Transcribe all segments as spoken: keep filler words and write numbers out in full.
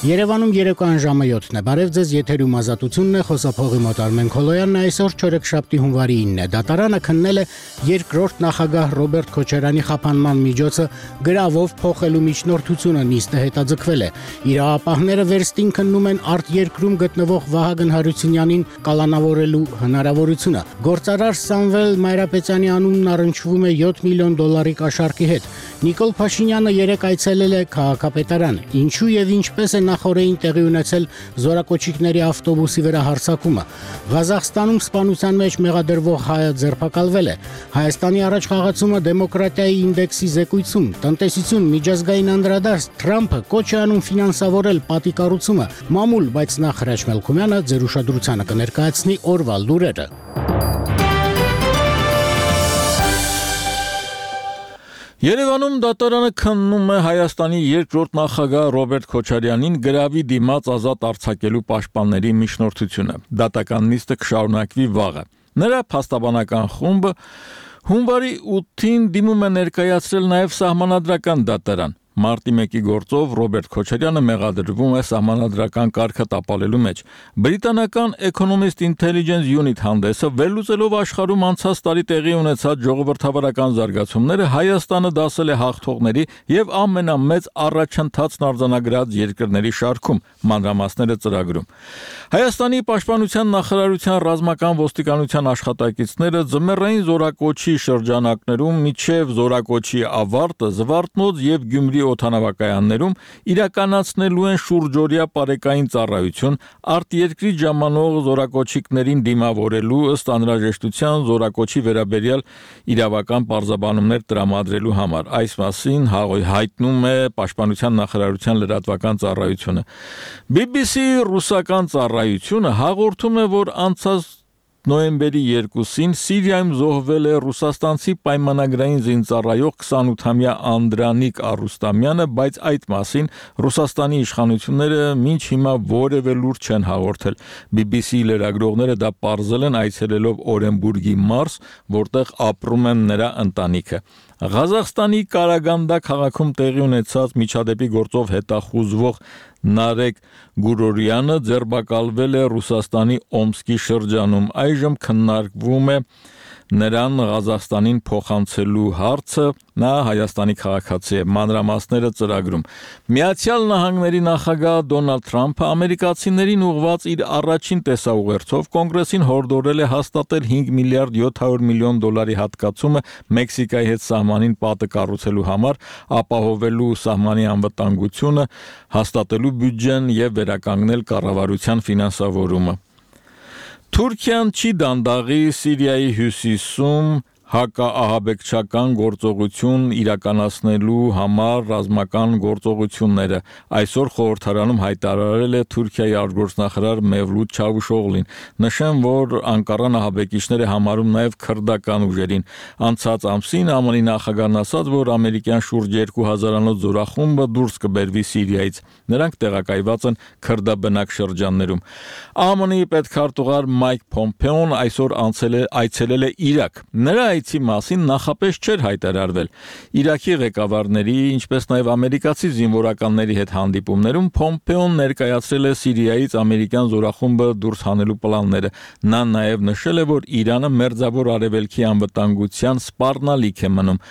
Երևանում երեկոյան ժամը յոթն է, բարև ձեզ, եթերում ազատությունն է, խոսափողի մոտ Արմեն Քոլոյանն է, այսօր չորեքշաբթի հունվարի ինն է, դատարանը քննել է երկրորդ նախագահ Ռոբերտ Քոչարյանի խափանման միջոցը գրավով փոխելու միջնորդությունը, նիստը հետաձգվել է, իրավապահները վերստին քննում են արտերկրում գտնվող Վահագն Հարությունյանին կալանավորելու հնարավորությունը, գործարար Սամվել Մայրապետյանի անունն առնչվում է յոթ միլիոն դոլարի կաշառքի հետ, Նիկոլ Փաշինյանը երեկ այցելել է քաղաքապետարան, ինչու եւ ինչպես է նախորդին տեղի ունեցել զորակոչիկների ավտոբուսի վրա հարձակումը։ Ղազախստանում սպանության մեջ մեղադրվող հայը ձերբակալվել է։ Հայաստանի առաջխաղացումը դեմոկրատիայի ինդեքսի զեկույցում, տնտեսություն, միջազգային անդրադարձ, Թրամփը կոչ է անում ֆինանսավորել պատիկառուցումը։ Մամուլ, բայց նախ Հրաչ Մելքումյանը ձեր ուշադրությանը կներկայացնի օրվա լուրերը։ Երևանում դատարանը քննում է Հայաստանի երկրորդ նախագահ Ռոբերտ Քոչարյանին գրավի դիմաց ազատ արձակելու պաշտպանների միջնորդությունը։ Դատական նիստը կշարունակվի վաղը։ Նրա փաստաբանական խումբը հունվարի ութին դիմում է ներկայացրել նաև սահմանադրական դատարան։ Մարտի մեկի գործով Ռոբերտ Քոչարյանը մեղադրվում է սահմանադրական կարգը տապալելու մեջ։ Բրիտանական Economist Intelligence Unit հանդեսը վերլուծելով աշխարհում անցած տարի տեղի ունեցած ժողովրդավարական զարգացումները Հայաստանը դասել է հաղթողների եւ ամենամեծ առաջընթացն արձանագրած երկրների շարքում, մանրամասները ծրագրում։ Հայաստանի պաշտպանության նախարարության ռազմական ոստիկանության աշխատակիցները ձմեռային զորակոչի շրջանակներում միջև զորակոչի ավարտը Զվարթնոց եւ Գյումրի օդանավակայաններում իրականացնելու են շուրջօրյա պարեկային ծառայություն արտերկրի ժամանող զորակոչիկներին դիմավորելու ըստ անհրաժեշտության զորակոչի վերաբերյալ իրավական պարզաբանումներ տրամադրելու համար։ Այս մասին հայտնում է Պաշտպանության նախարարության լրատվական ծառայությունը։ բի բի սի ռուսական ծառայությունը հաղորդում է, որ անցած նոյեմբերի երկուսին Սիրիայում զոհվել է ռուսաստանցի պայմանագրային զինծառայող քսանութամյա Անդրանիկ Արուստամյանը, բայց այդ մասին Ռուսաստանի իշխանությունները մինչ հիմա որևէ լուր չեն հաղորդել։ բի բի սի լրագրողները դա պարզել են այցելելով Օրենբուրգի մարզ, որտեղ ապրում են նրա ընտանիքը։ Ղազախստանի Կարագանդա քաղաքում տեղի ունեցած միջադեպի գործով հետախուզվող Նարեկ Գուրորյանը ձերբակալվել է Ռուսաստանի Օմսկի շրջանում։ Այժմ քննարկվում է նրան Ղազախստանին փոխանցելու հարցը, նա Հայաստանի քաղաքացի է, մանրամասները ծրագրում։ Միացյալ Նահանգների նախագահ Դոնալդ Թրամփը ամերիկացիներին ուղղված իր առաջին տեսաուղերձով կոնգրեսին հորդորել է հաստատել հինգ միլիարդ յոթ հարյուր միլիոն դոլարի հատկացումը Մեքսիկայի հետ սահմանին պատը կառուցելու համար, ապահովելու սահմանի անվտանգությունը, հաստատելու բյուջեն եւ վերականգնել կառավարության ֆինանսավորումը։ Թուրքիան չի դանդաղի Սիրիայի հյուսիսում հակաահաբեկչական գործողություն իրականացնելու համար ռազմական գործողությունները։ Այսօր խորհրդարանում հայտարարել է Թուրքիայի արտգործնախարար Մևլութ Չավուշօղլին։ Նշեմ, որ Անկարան ահաբեկիչներ է համարում նաև քրդական ուժերին։ Անցած ամսին ԱՄՆ-ի նախագահն ասաց, որ ամերիկյան շուրջ երկու հազարանոց զորախումբը դուրս կբերվի Սիրիայից։ Նրանք տեղակայված են քրդաբնակ շրջաններում։ ԱՄՆ-ի պետքարտուղար Մայք Փոմպեոն այսօր այցելել է Իրաք։ Նրա այցի մասին նախապես չէր հայտարարվել։ Իրաքի ղեկավարների, ինչպես նաև ամերիկացի զինվորականների հետ հանդիպումներում Փոմպեոն ներկայացրել է Սիրիայից ամերիկյան զորախումբը դուրս հանելու պլանները։ Նա նաև նշել է, որ Իրանը մերձավոր արևելքի անվտանգության սպառնալիք է մնում։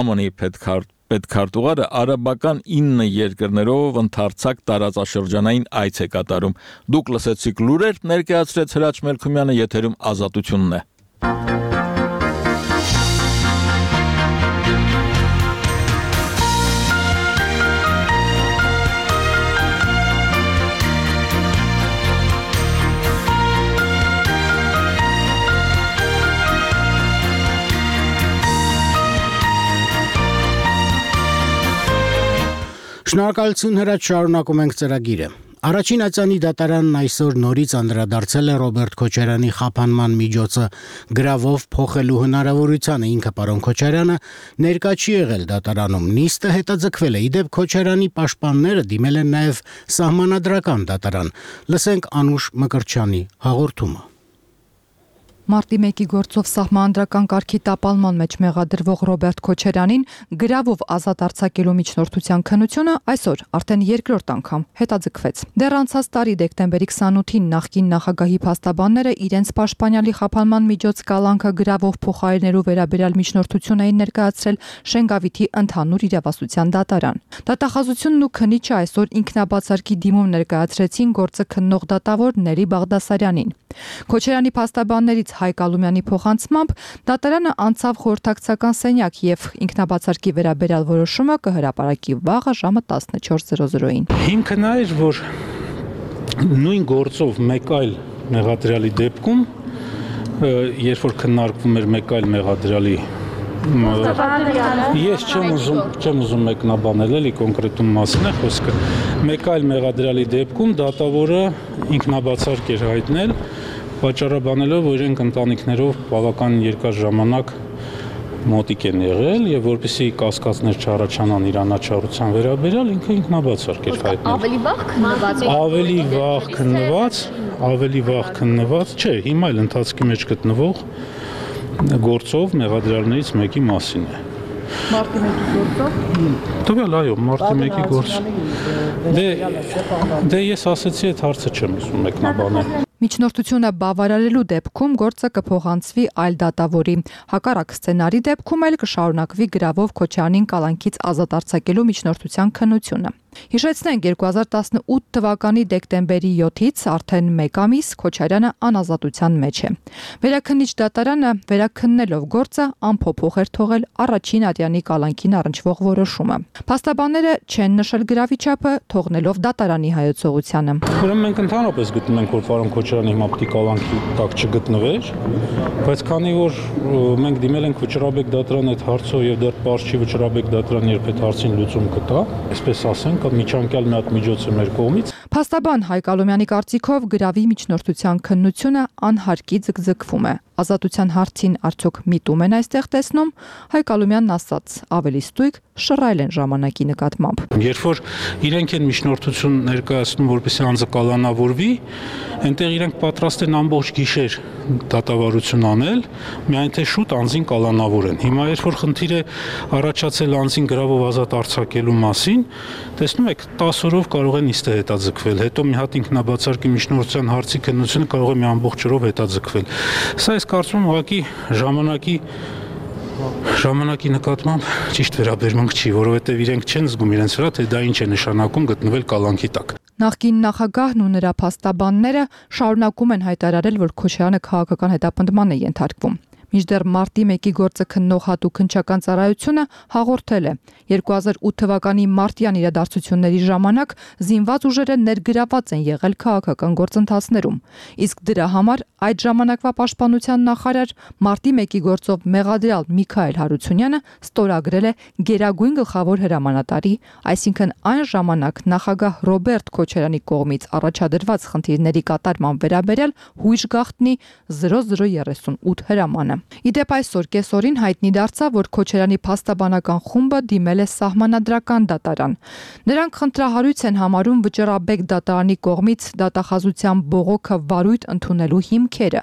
ԱՄՆ-ի պետքարտուղար Պետքարտուղարը արաբական ինը երկրներով ընդարձակ տարածաշրջանային այց է կատարում։ Դուք լսեցիք լուրեր, ներկայացրեց Հրաչ Մելքումյանը, եթերում ազատությունն է։ Շնորհակալություն Հրաչ, շարունակում ենք ծրագիրը։ Առաջին ացանի դատարանն այսօր նորից անդրադարձել է Ռոբերտ Քոչարյանի խափանման միջոցը գրավով փոխելու հնարավորությանը։ Ինքը պարոն Քոչարյանը ներկա չի եղել դատարանում։ Նիստը հետաձգվել է։ Իդեպ Քոչարյանի պաշտպանները դիմել են նաև սահմանադրական դատարան։ Լսենք Անուշ Մկրտչյանի հաղորդումը։ Մարտի մեկի գործով սահմանադրական կարգի տապալման մեջ մեղադրվող Ռոբերտ Քոչարյանին գրավով ազատ արձակելու միջնորդության քննությունը այսօր արդեն երկրորդ անգամ հետաձգվեց։ Դեռ անցած տարի դեկտեմբերի քսանութին նախկին նախագահի փաստաբանները իրենց պաշտպանյալի խափանման միջոց կալանքը գրավով փոխարինելու վերաբերյալ միջնորդություն էին ներկայացրել Շենգավիթի ընդհանուր իրավասության դատարան։ Դատախազությունն ու քննիչը այսօր ինքնաբացարկի դիմում ներկայացրեցին գործը քննող դատավոր Ների Բաղդասարյանին։ Քոչարյանի փաստաբաններից Հայկ Ալումյանի փոխանցմամբ դատարանը անցավ խորհրդակցական սենյակ եւ ինքնաբացարկի վերաբերյալ որոշումը կհրապարակի վաղը ժամը տասնչորս զրո զրոին։ Հիմքը նա էր, որ նույն գործով մեկ այլ մեղադրյալի դեպքում, երբ որ քննարկվում էր մեկ այլ մեղադրյալի, ես չեմ ուզում, չեմ ուզում մեկնաբանել, էլի կոնկրետում մասին է խոսքը, մեկ այլ մեղադրյալի դեպքում դատավորը ինքնաբացարկ էր հայտնել, պատճառաբանելով, որ իրենք ընտանիքներով բավական երկար ժամանակ մոտիկ են եղել եւ որպեսզի կասկածներ չառաջանան իրանաչառության վերաբերյալ, ինքը ինքնաբացարկ էր հայտնել։ Ավելի վաղ քննված։ Ավելի վաղ քննված, ավելի վաղ քննված, չէ, հիմա էլ ընթացքի մեջ գտնվող գործով մեղադրյալներից մեկի մասին է։ Մարտի մեկի գործով։ Տվյալ, այո, մարտի մեկի գործ։ Դե դե ես ասացի, այդ հարցը չեմ ուզում մեկնաբանել։ Միջնորդությունը բավարարելու դեպքում գործը կփոխանցվի այլ դատավորի։ Հակառակ սցենարի դեպքում էլ կշարունակվի գրավով Քոչարյանին կալանքից ազատ արձակելու միջնորդության քննությունը։ Հիշեցնենք, երկու հազար տասնութ թվականի դեկտեմբերի յոթից արդեն մեկ ամիս Քոչարյանը անազատության մեջ է։ Վերաքննիչ դատարանը վերաքննելով գործը անփոփոխ էր թողել առաջին ատյանի կալանքին առնչվող որոշումը։ Փաստաբանները չեն նշել գրավի չափը, թողնելով դատարանի հայեցողությանը։ Ուրեմն մենք ընդհանրապես գտնում ենք, որ պարոն Քոչարյանը հիմա պետք է կալանքի տակ չգտնվեր, բայց քանի որ մենք դիմել ենք Վճռաբեկ դատարան այդ հարցով եւ դեռ պարզ չի Վճռաբեկ դատարան երբ այդ հարցին լուծում կտա, այսպես ասենք, միջանկյալ մի հատ միջոց է մեր կողմից։ Փաստաբան Հայկ Ալումյանի կարծիքով գրավի միջնորդության քննությունը անհարկի ձգձգվում է։ Ազատության հարցին արդյոք միտում են այստեղ տեսնում, Հայկ Ալումյանն ասաց, ավելի ստույգ շռայլ են ժամանակի նկատմամբ։ Երբ որ իրենք են միջնորդություն ներկայացնում, որպեսզի անձը կալանավորվի, այնտեղ իրենք պատրաստ են ամբողջ գիշեր դատավարություն անել, միայն թե շուտ անձին կալանավորեն։ Հիմա երբ որ խնդիր է առաջացել անձին գրավով ազատ արձակելու մասին, տեսնում եք, տասը օրով կարող են իստե հետաձգվել, հետո մի հատ ինքնաբացարկի միջնորդության հարցի քննությունը կարող է մի ամբողջ օրով հետաձգվել։ Սա ես կարծում եմ ուղղակի ժամանակի ժամանակի նկատմամբ ճիշտ վերաբերմունք չի, որովհետև իրենք չեն զգում իրենց վրա, թե դա ինչ է նշանակում գտնվել կալանքի տակ։ Նախկին նախագահն ու նրա փաստաբանները շարունակում են հայտարարել, որ Քոչարյանը քաղաքական հետապնդման է ենթարկվում։ Մինչդեռ մարտի մեկի գործը քննող հատուկ քննչական ծառայությունը հաղորդել է երկու հազար ութ թվականի մարտյան իրադարձությունների ժամանակ զինված ուժերը ներգրաված են եղել քաղաքական գործընթացներում, իսկ դրա համար այդ ժամանակվա պաշտպանության նախարար մարտի մեկի գործով մեղադրյալ Միքայել Հարությունյանը ստորագրել է գերագույն գլխավոր հրամանատարի, այսինքն այն ժամանակ նախագահ Ռոբերտ Քոչարյանի կողմից առաջադրված խնդիրների կատարման վերաբերյալ հույժ գաղտնի զրո զրո երեսունութ հրամանը։ Իդեպ այսօր կեսօրին հայտնի դարձավ, որ Քոչարյանի փաստաբանական խումբը դիմել է սահմանադրական դատարան։ Նրանք խնդրահարույց են համարում Վճռաբեկ դատարանի կողմից դատախազության բողոքը վարույթ ընդունելու հիմքերը։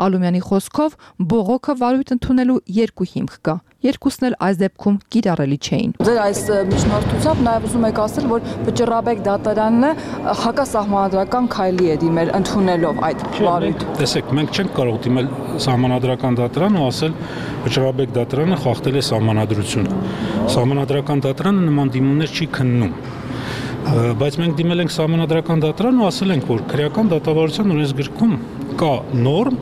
Ալումյանի խոսքով բողոքը վարույթ ընդունելու երկու հիմք կա։ Երկուսն էլ այս դեպքում կիրառելի չէին։ Ձեր այս միջնորդությամբ նաև ուզում եք ասել, որ Վճռաբեկ դատարանը հակասահմանադրական քայլի է դիմել ընդունելով այդ վարույթը։ Տեսեք, մենք չենք կարող դիմել սահմանադրական դատարան ու ասել Վճռաբեկ դատարանը խախտել է սահմանադրությունը։ Սահմանադրական դատարանը նման դիմումներ չի քննում։ Բայց մենք դիմել ենք սահմանադրական դատարան ու ասել ենք, որ քրեական դատավարության օրենսգրքում կա նորմ,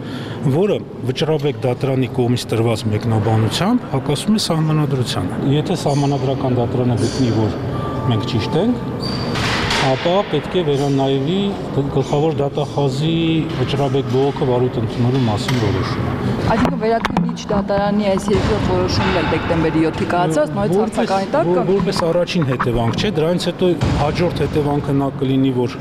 որը Վճռաբեկ դատարանի կողմից տրված մեկնաբանությամբ հակասում է սահմանադրությանը։ Եթե սահմանադրական դատարանը գտնի, որ մենք ճիշտ ենք, ապա պետք է վերանայվի գլխավոր դատախազի Վճռաբեկ բողոքը վարույթ ընդունելու մասին որոշումը։ Այսինքն վերաքննիչ դատարանի այս երկրորդ որոշումն էլ դեկտեմբերի յոթի կայացած նույն հարցականի տակ կա։ Որպես առաջին հետևանք չէ, դրանից հետո հաջորդ հետևանքը նա կլինի, որ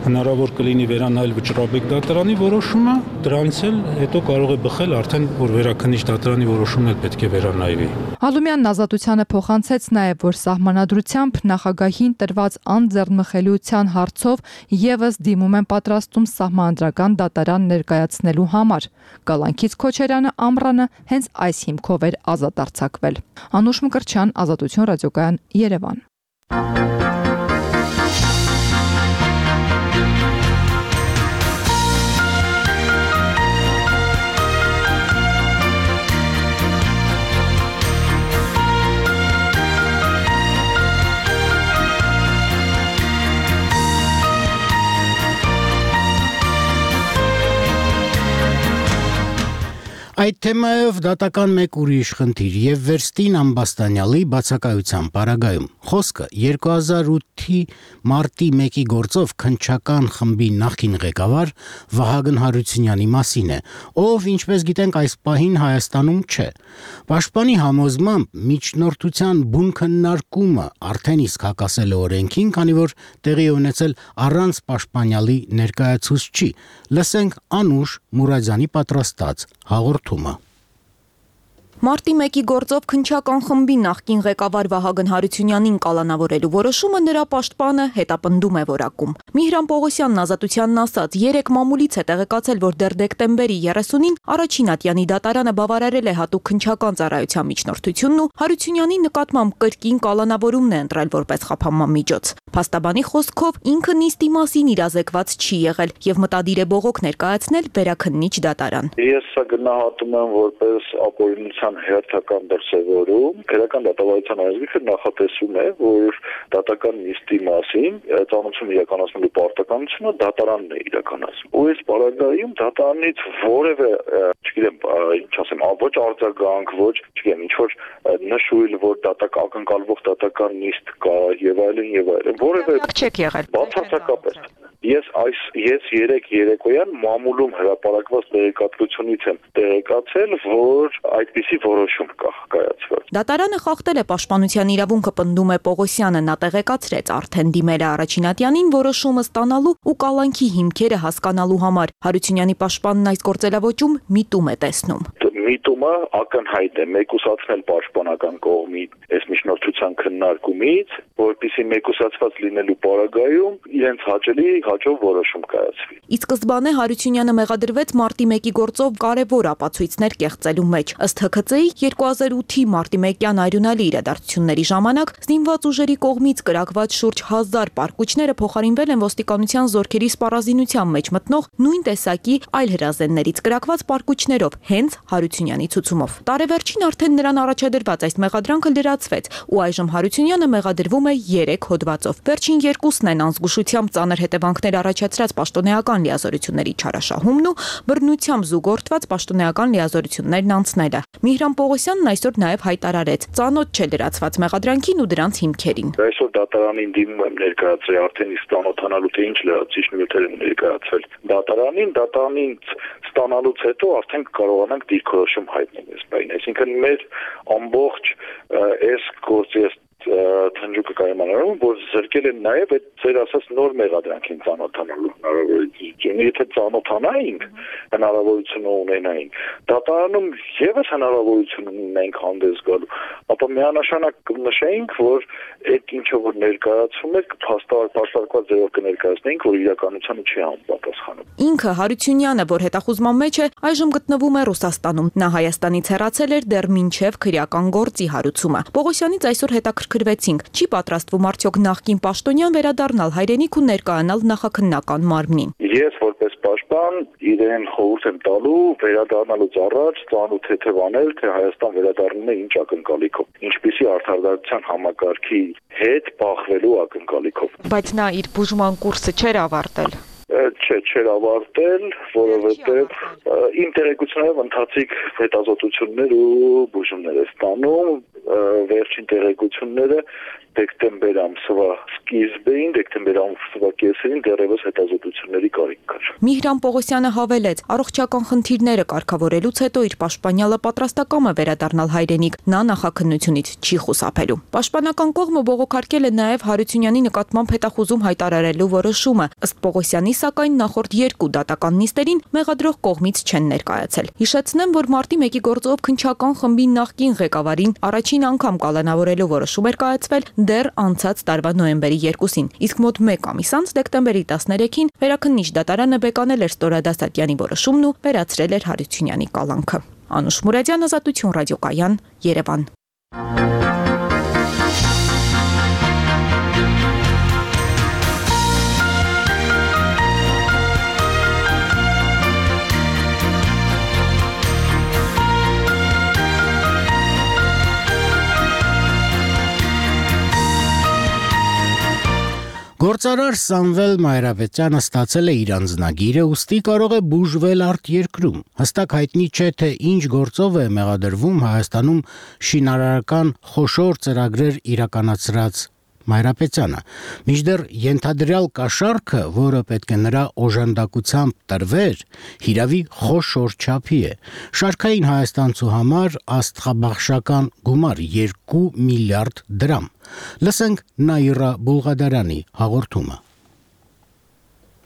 հնարավոր կլինի վերանայել Վճռաբեկ դատարանի որոշումը, դրանից էլ հետո կարող է բխել արդեն, որ Վերաքննիչ դատարանի որոշումն էլ պետք է վերանայվի։ Հալումյանն Ազատությանը փոխանցեց նաև, որ սահմանադրությամբ նախագահին տրված անձեռնմխելիության հարցով եւս դիմում են պատրաստում սահմանադրական դատարան ներկայացնելու համար։ Գալանքից Քոչարյանը ամռանը հենց այս հիմքով էր ազատ արձակվել։ Անուշ Մկրտչյան, Ազատություն ռադիոկայան, Երևան։ Այդ թեմայով դատական մեկ ուրիշ խնդիր եւ Վերստին Ամբաստանյալի բացակայության պարագայում խոսքը երկու հազար ութի մարտի մեկի գործով քննչական խմբի նախկին ղեկավար Վահագն Հարությունյանի մասին է, ով ինչպես գիտենք այս պահին Հայաստանում չէ։ Պաշտպանի համոզմամբ միջնորդության բուն քննարկումը արդեն իսկ հակասել է օրենքին, քանի որ տեղի ունեցել առանց Պաշտպանյալի ներկայացուցչի։ Լսենք Անուշ Մուրադյանի պատրաստած հաղորդումը։ Մարտի մեկի գործով քննչական խմբի նախկին ղեկավար Վահագն Հարությունյանին կալանավորելու որոշումը նրա պաշտպանը հետապնդում է որակում։ Միհրան Պողոսյանն Ազատությանն ասաց, երեք մամուլից է տեղեկացել, որ դեռ դեկտեմբերի երեսունին առաջին ատյանի դատարանը բավարարել է հատուկ քննչական ծառայության միջնորդությունն ու Հարությունյանի նկատմամբ կրկին կալանավորումն է ընտրել որպես խափանման միջոց։ Փաստաբանի խոսքով ինքը նիստի մասին իրազեկված չի եղել եւ մտադիր է բողոք ներկայացնել Վերաքննիչ դատարան։ Ես սա գնահատում եմ որպես ապօրինության հերթական դրսևորում։ Քրեական դատավարության ազգիքը նախատեսում է, որ դատական նիստի մասին ծանոթություն իրականացնելու պարտականությունը դատարանն է իրականացնում։ Ու այս պարագայում դատարանից որևէ, չգիտեմ, ինչ ասեմ, ոչ արձագանք, ոչ, չգիտեմ, ինչ որ նշույլ, որ դատակ ակնկալվող դատական նիստ կա եւ այլն եւ այլն։ Որևէ չեք եղել։ Բացարձակապես։ Ես այս ես երեք երեկոյան մամուլում հրապարակված տեղեկատվությունից եմ տեղեկացել, որ այդպիսի որոշում կա կայացվել։ Դատարանը խախտել է պաշտպանության իրավունքը, պնդում է Պողոսյանը, նա տեղեկացրեց արդեն դիմել է առաջին ատյանին որոշումը ստանալու ու կալանքի հիմքերը հասկանալու համար։ Հարությունյանի պաշտպանն այս գործելավոճում միտում է տեսնում։ Միտումը ակնհայտ է մեկուսացնել պաշտպանական կողմի այս միջնորդության քննարկումից, որպեսզի մեկուսացված լինելու պարագայում իրենց հաճելի հաջող որոշում կայացվի։ Ի սկզբանե Հարությունյանը մեղադրվեց մարտի մեկի գործով կարևոր ապացույցներ կեղծելու մեջ։ Ըստ Հ K C-ի երկու հազար ութի մարտի մեկյան արյունալի իրադարձությունների ժամանակ զինված ուժերի կողմից կրակված շուրջ հազար պարկուճները փոխարինվել են ոստիկանության զորքերի սպառազինության մեջ մտնող նույն տեսակի այլ հրազեններից կրակված պարկուճներով, հենց Հարությունյանի ցուցումով։ Տարեվերջին արդեն նրան առաջադրված այս մեղադրանքը լրացվեց ու այժմ Հարությունյանը մեղադրվում է երեք հոդվածով։ Վերջին երկուսն են անզգուշությամբ ծանր հետևանքներ առաջացրած պաշտոնեական լիազորությունների չարաշահումն ու բռնությամբ զուգորդված պաշտոնեական լիազորություններն անցնելը։ Միհրան Պողոսյանն այսօր նաև հայտարարեց, ծանոթ չէ լրացված մեղադրանքին ու դրանց հիմքերին։ Այսօր դատարանին դիմում եմ ներկայացրել արդեն իսկ ստանոթանալու թե ինչ լրացիչ նյութեր են ներկայացվել դատարանին, դատարանին ստանալուց հետո արդեն կարողանանք դիրքորոշում հայտնել այս բանը։ Այսինքն մեր ամբողջ այս գործի Թնջուկը կայմանանում, որ զրկել են նաև այդ ձեր ասած նոր մեղադրանքին ծանոթանալու հնարավորություն։ Եթե ծանոթանայինք, հնարավորություն ունենայինք, դատարանում եւս հնարավորություն ունենք հանդես գալու, ապա միանշանակ կնշեինք, որ այդ ինչը որ ներկայացում եք, փաստարկված ձևով կներկայացնենք, որ իրականությանը չի համապատասխանում։ Ինքը Հարությունյանը, որ հետախուզման մեջ է, այժմ գտնվում է Ռուսաստանում։ Նա Հայաստանից հեռացել էր դեռ մինչև քրեական գործի հարուցումը։ Պողոսյանից այսօր հետաքրքրվեցինք, չի պատրաստվում արդյոք նախկին պաշտոնյան վերադառնալ հայրենիք ու ներկայանալ նախաքննական մարմնին։ Ես որպես պաշտպան իրեն խորհուրդ եմ տալու վերադառնալուց առաջ ծանոթ թեթևանել, թե Հայաստան վերադառնում է ինչ ակնկալիքով, ինչպիսի արդարադատության համակարգի հետ բախվելու ակնկալիքով։ Բայց նա իր բուժման կուրսը չէր ավարտել։ Չէ, չէր ավարտել, որովհետև իմ տեղեկություններով ընթացիկ հետազոտություններ ու բուժումներ է ստանում, վերջին տեղեկությունները դեկտեմբեր ամսվա սկիզբին, դեկտեմբեր ամսվա կեսերին դեռևս հետազոտությունների կարիք կար։ Միհրան Պողոսյանը հավելեց, առողջական խնդիրները կարգավորելուց հետո իր պաշտպանյալը պատրաստակամ է վերադառնալ հայրենիք, նա նախաքննությունից չի խուսափելու։ Պաշտպանական կողմը բողոքարկել է նաև Հարությունյանի նկատմամբ հետախուզում հայտարարելու որոշումը, ըստ Պողոսյանի, սակայն նախորդ երկու դատական նիստերին մեղադրող կողմից չեն ներկայացել։ Հիշեցնեմ, որ մարտի մեկի գործով քննչական խմբի նախկին ղեկավարին առաջին անգամ կալանավորելու որոշում էր կայացվել դեռ անցած տարվա նոյեմբերի երկուսին, իսկ մոտ մեկ ամիս անց դեկտեմբերի տասներեքին վերաքննիչ դատարանը բեկանել էր Ստորադա Սատյանի որոշումն ու վերացրել էր Հարությունյանի կալանքը։ Անուշ Մուրադյան, Ազատություն ռադիոկայան, Երևան։ Գործարար Սամվել Մայրապետյանը ստացել է իր անձնագիրը, ուստի կարող է բուժվել արտերկրում։ Հստակ հայտնի չէ, թե ինչ գործով է մեղադրվում Հայաստանում շինարարական խոշոր ծրագրեր իրականացրած Մայրապետյանը։ Մինչդեռ ենթադրյալ կաշառքը, որը պետք է նրա օժանդակությամբ տրվեր, հիրավի խոշոր չափի է։ Շարքային հայաստանցու համար աստղաբաշխական գումար երկու միլիարդ դրամ։ Լսենք Նաիրա Բուլղադարյանի հաղորդումը։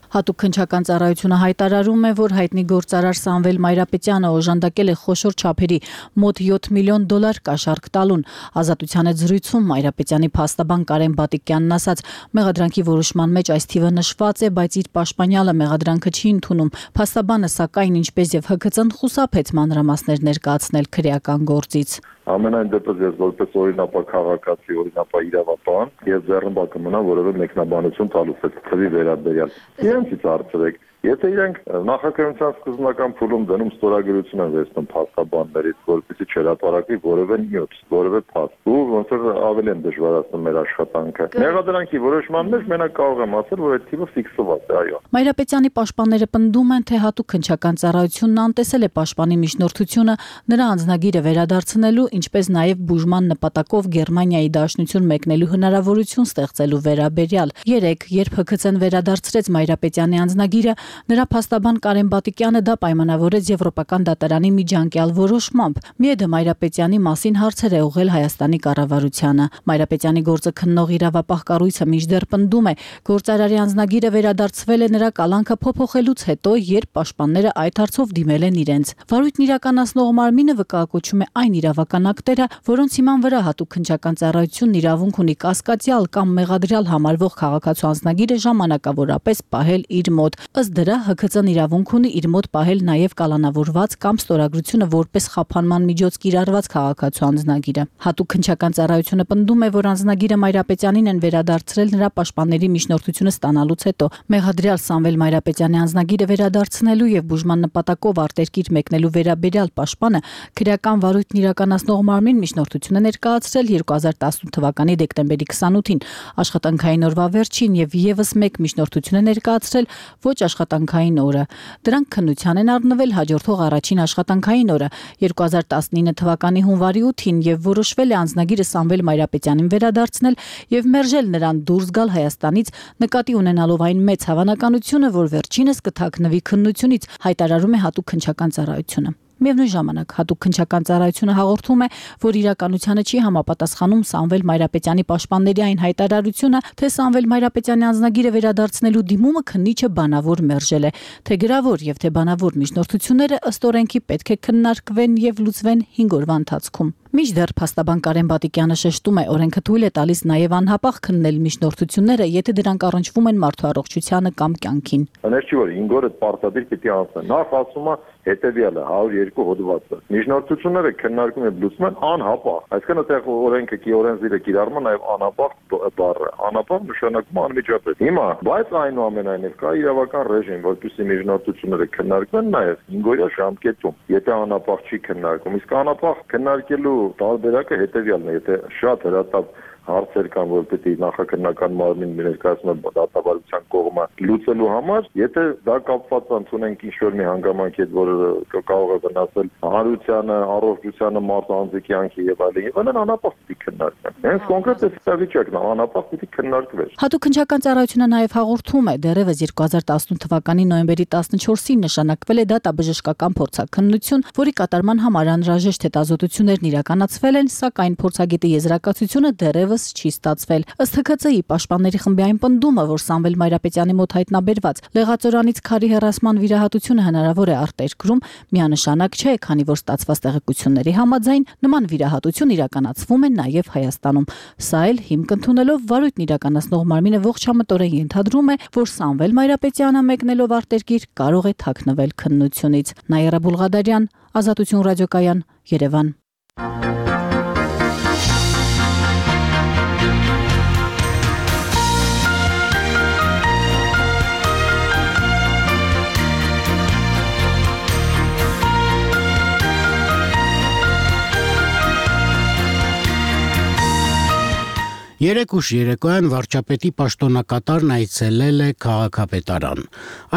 Հատուկ քննչական ծառայությունը հայտարարում է, որ հայտնի գործարար Սամվել Մայրապետյանը օժանդակել է խոշոր չափերի մոտ յոթ միլիոն դոլար կաշառք տալուն։ Ազատության հետ զրույցում Մայրապետյանի փաստաբան Կարեն Բատիկյանն ասաց, մեղադրանքի որոշման մեջ այս թիվը նշված է, բայց իր պաշտպանյալը մեղադրանքը չի ընդունում։ Փաստաբանը, սակայն, ինչպես եւ Հ K C-ն խուսափեց մանրամասներ ներկայացնել քրեական գործից։ Ամենայն դեպս ես որպես օրինապա քաղաքացի, օրինապա իրավապահ, ես ձեռնբա կմնամ որևէ մեկնաբանություն տալուց այդ թվի վերաբերյալ։ Իրենցից հարցրեք, եթե իրենք նախաքննության սկզբնական փուլում դնում ստորագրություն են վերցնում փաստաբաններից, որպեսզի չհրապարակվի որևէ նյութ, որևէ փաստ, ու ոնց որ ավելի են դժվարացնում մեր աշխատանքը։ Մեղադրանքի որոշման մեջ մենակ կարող եմ ասել, որ այդ թիվը ֆիքսված է, այո։ Մայրապետյանի պաշտպանները պնդում են, թե հատուկ քննչական ծառայությունն անտեսել է պաշտպանի միջնորդությունը նրա անձնագիրը վերադարձնելու, ինչպես նաև բուժման նպատակով Գերմանիայի դաշնություն մեկնելու հնարավորություն ստեղծելու վերաբերյալ։ Երեկ, երբ Հ K C-ն վերադարձրեց Մայրապետյանի անձնագիրը, նրա փաստաբան Կարեն Բատիկյանը դա պայմանավորեց Եվրոպական դատարանի միջանկյալ որոշմամբ։ Միեդը Մայրապետյանի մասին հարցեր է ուղղել Հայաստանի կառավարությանը։ Մայրապետյանի գործը քննող իրավապահ կառույցը մինչդեռ պնդում է, գործարարի անձնագիրը վերադարձվել է նրա կալանքը փոփոխելուց հետո, երբ պաշտպանները այդ հարցով դիմել են իրենց։ Վարույթն իրականացնող մարմինը վկայակոչում է այն իրավական ակտերը, որոնց հիման վրա հատուկ քննչական ծառայությունն իրավունք ունի կասկածյալ կամ մեղադրյալ համարվող քաղաքացու անձնագիրը ժամանակավորապես պահել իր մոտ։ Ըստ դրա Հ K C-ն իրավունք ունի իր մոտ պահել նաև կալանավորված կամ ստորագրությունը որպես խափանման միջոց կիրառված քաղաքացու անձնագիրը։ Հատուկ քննչական ծառայությունը պնդում է, որ անձնագիրը Մայրապետյանին են վերադարձրել նրա պաշտպանների միջնորդությունը ստանալուց հետո։ Մեղադրյալ Սամվել Մայրապետյանի անձնագիրը վերադարձնելու եւ բուժման նպատակով արտերկիր մեկնելու վերաբերյալ պաշտպանը քրեական վարույթն իրականացնող մարմին միջնորդությունը ներկայացրել երկու հազար տասնութ թվականի դեկտեմբերի քսանութին աշխատանքային օրվա վերջին եւ եւս մեկ միջնորդություն է ներկայացրել ոչ աշխատանքային օրը։ Դրանք քննության են առնվել հաջորդող առաջին աշխատանքային օրը երկու հազար տասնինը թվականի հունվարի ութին եւ որոշվել է անձնագիրը Սամվել Մայրապետյանին վերադարձնել եւ մերժել նրան դուրս գալ Հայաստանից, նկատի ունենալով այն մեծ հավանականությունը, որ վերջինս կթաքնվի քննությունից, հայտարարում է հատուկ քննչական ծառայությունը։ Միևնույն ժամանակ հատուկ քննչական ծառայությունը հաղորդում է, որ իրականությանը չի համապատասխանում Սամվել Մայրապետյանի պաշտպանների այն հայտարարությունը, թե Սամվել Մայրապետյանի անձնագիրը վերադարձնելու դիմումը քննիչը բանավոր մերժել է, թե գրավոր եւ թե բանավոր միջնորդությունները ըստ օրենքի պետք է քննարկվեն եւ լուծվեն հինգ օրվա ընթացքում։ Մինչդեռ փաստաբան Կարեն Բատիկյանը շեշտում է, օրենքը թույլ է տալիս նաև անհապաղ քննել միջնորդությունները, եթե դրանք առնչվում են մարդու առողջությանը կամ կյանքին։ Հենց չի որ հինգ օրը պարտադիր պիտի անցնեն։ Նախ ասում է հետեւյալը հարյուր երկու հոդվածը։ Միջնորդությունները քննարկում են լուծում են անհապաղ։ Այսինքն այդտեղ օրենքը կի օրենսդիրը կիրառում է նաև անհապաղ բառը։ Անհապաղ նշանակում անմիջապես։ Հիմա, բայց այնուամենայնիվ կա իրավական ռեժիմ, որպեսզի միջնորդությունները քննարկվեն նաև հինգ օրյա ժամկետում, եթե անհապաղ չի քննարկում։ Իսկ անհապաղ քննարկելու տարբերակը հետեւյալն է, եթե շատ հրատապ հարցեր կան, որ պետք է նախաքննական մարմին ներկայացնի դատավարության կողմը լուծելու համար, եթե դա կապված ընդունենք ինչ-որ մի հանգամանքի հետ, որ կարող է վնասել հանրությանը, առողջությանը, մարդու կյանքի եւ այլն, եւ այլն, անապահ պիտի քննարկվեն։ Հենց կոնկրետ այս վիճակն է, անապահ պիտի քննարկվեր։ Հատուկ քննչական ծառայությունը նաև հաղորդում է, դեռևս երկու հազար տասնութ թվականի նոյեմբերի տասնչորսին նշանակվել է դատաբժշկական փորձաքննություն, որի կատարման համար անհրաժեշտ հետազոտություններն իրականացվել են, սակայն փորձագետի եզրակացությունը դեռևս չի ստացվել։ Ըստ Հ K Ծ-ի պաշտպանների խմբի այն պնդումը, որ Սամվել Մայրապետյանի մոտ հայտնաբերված լեղածորանից քարի հեռացման վիրահատությունը հնարավոր է արտերկրում, միանշանակ չէ, քանի որ ստացված տեղեկությունների համաձայն նման վիրահատություն իրականացվում է նաև Հայաստանում։ Սա էլ հիմք ընդունելով վարույթն իրականացնող մարմինը ողջամտորեն ենթադրում է, որ Սամվել Մայրապետյանը մեկնելով արտերկիր կարող է թաքնվել քննությունից։ Նաիրա Բուլղադարյան, Ազատություն ռադիոկայան, Երևան։ Երեկ ուշ երեկոյան վարչապետի պաշտոնակատարն այցելել է քաղաքապետարան։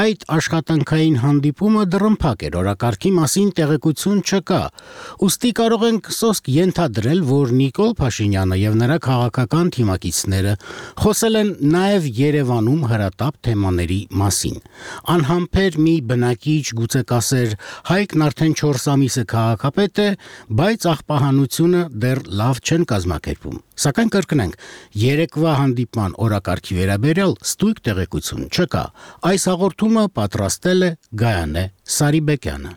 Այդ աշխատանքային հանդիպումը դռնփակ էր, օրակարգի մասին տեղեկություն չկա։ Ուստի կարող ենք սոսկ ենթադրել, որ Նիկոլ Փաշինյանը եւ նրա քաղաքական թիմակիցները խոսել են նաեւ Երևանում հրատապ թեմաների մասին։ Անհամբեր մի բնակիչ գուցե կասեր Հայկն արդեն չորս ամիս է քաղաքապետ է, բայց աղբահանությունը դեռ լավ չեն կազմակերպում։ Սակայն կրկնենք, երեկվա հանդիպման օրակարգի վերաբերյալ ստույգ տեղեկություն չկա։ Այս հաղորդումը պատրաստել է Գայանե Սարիբեկյանը։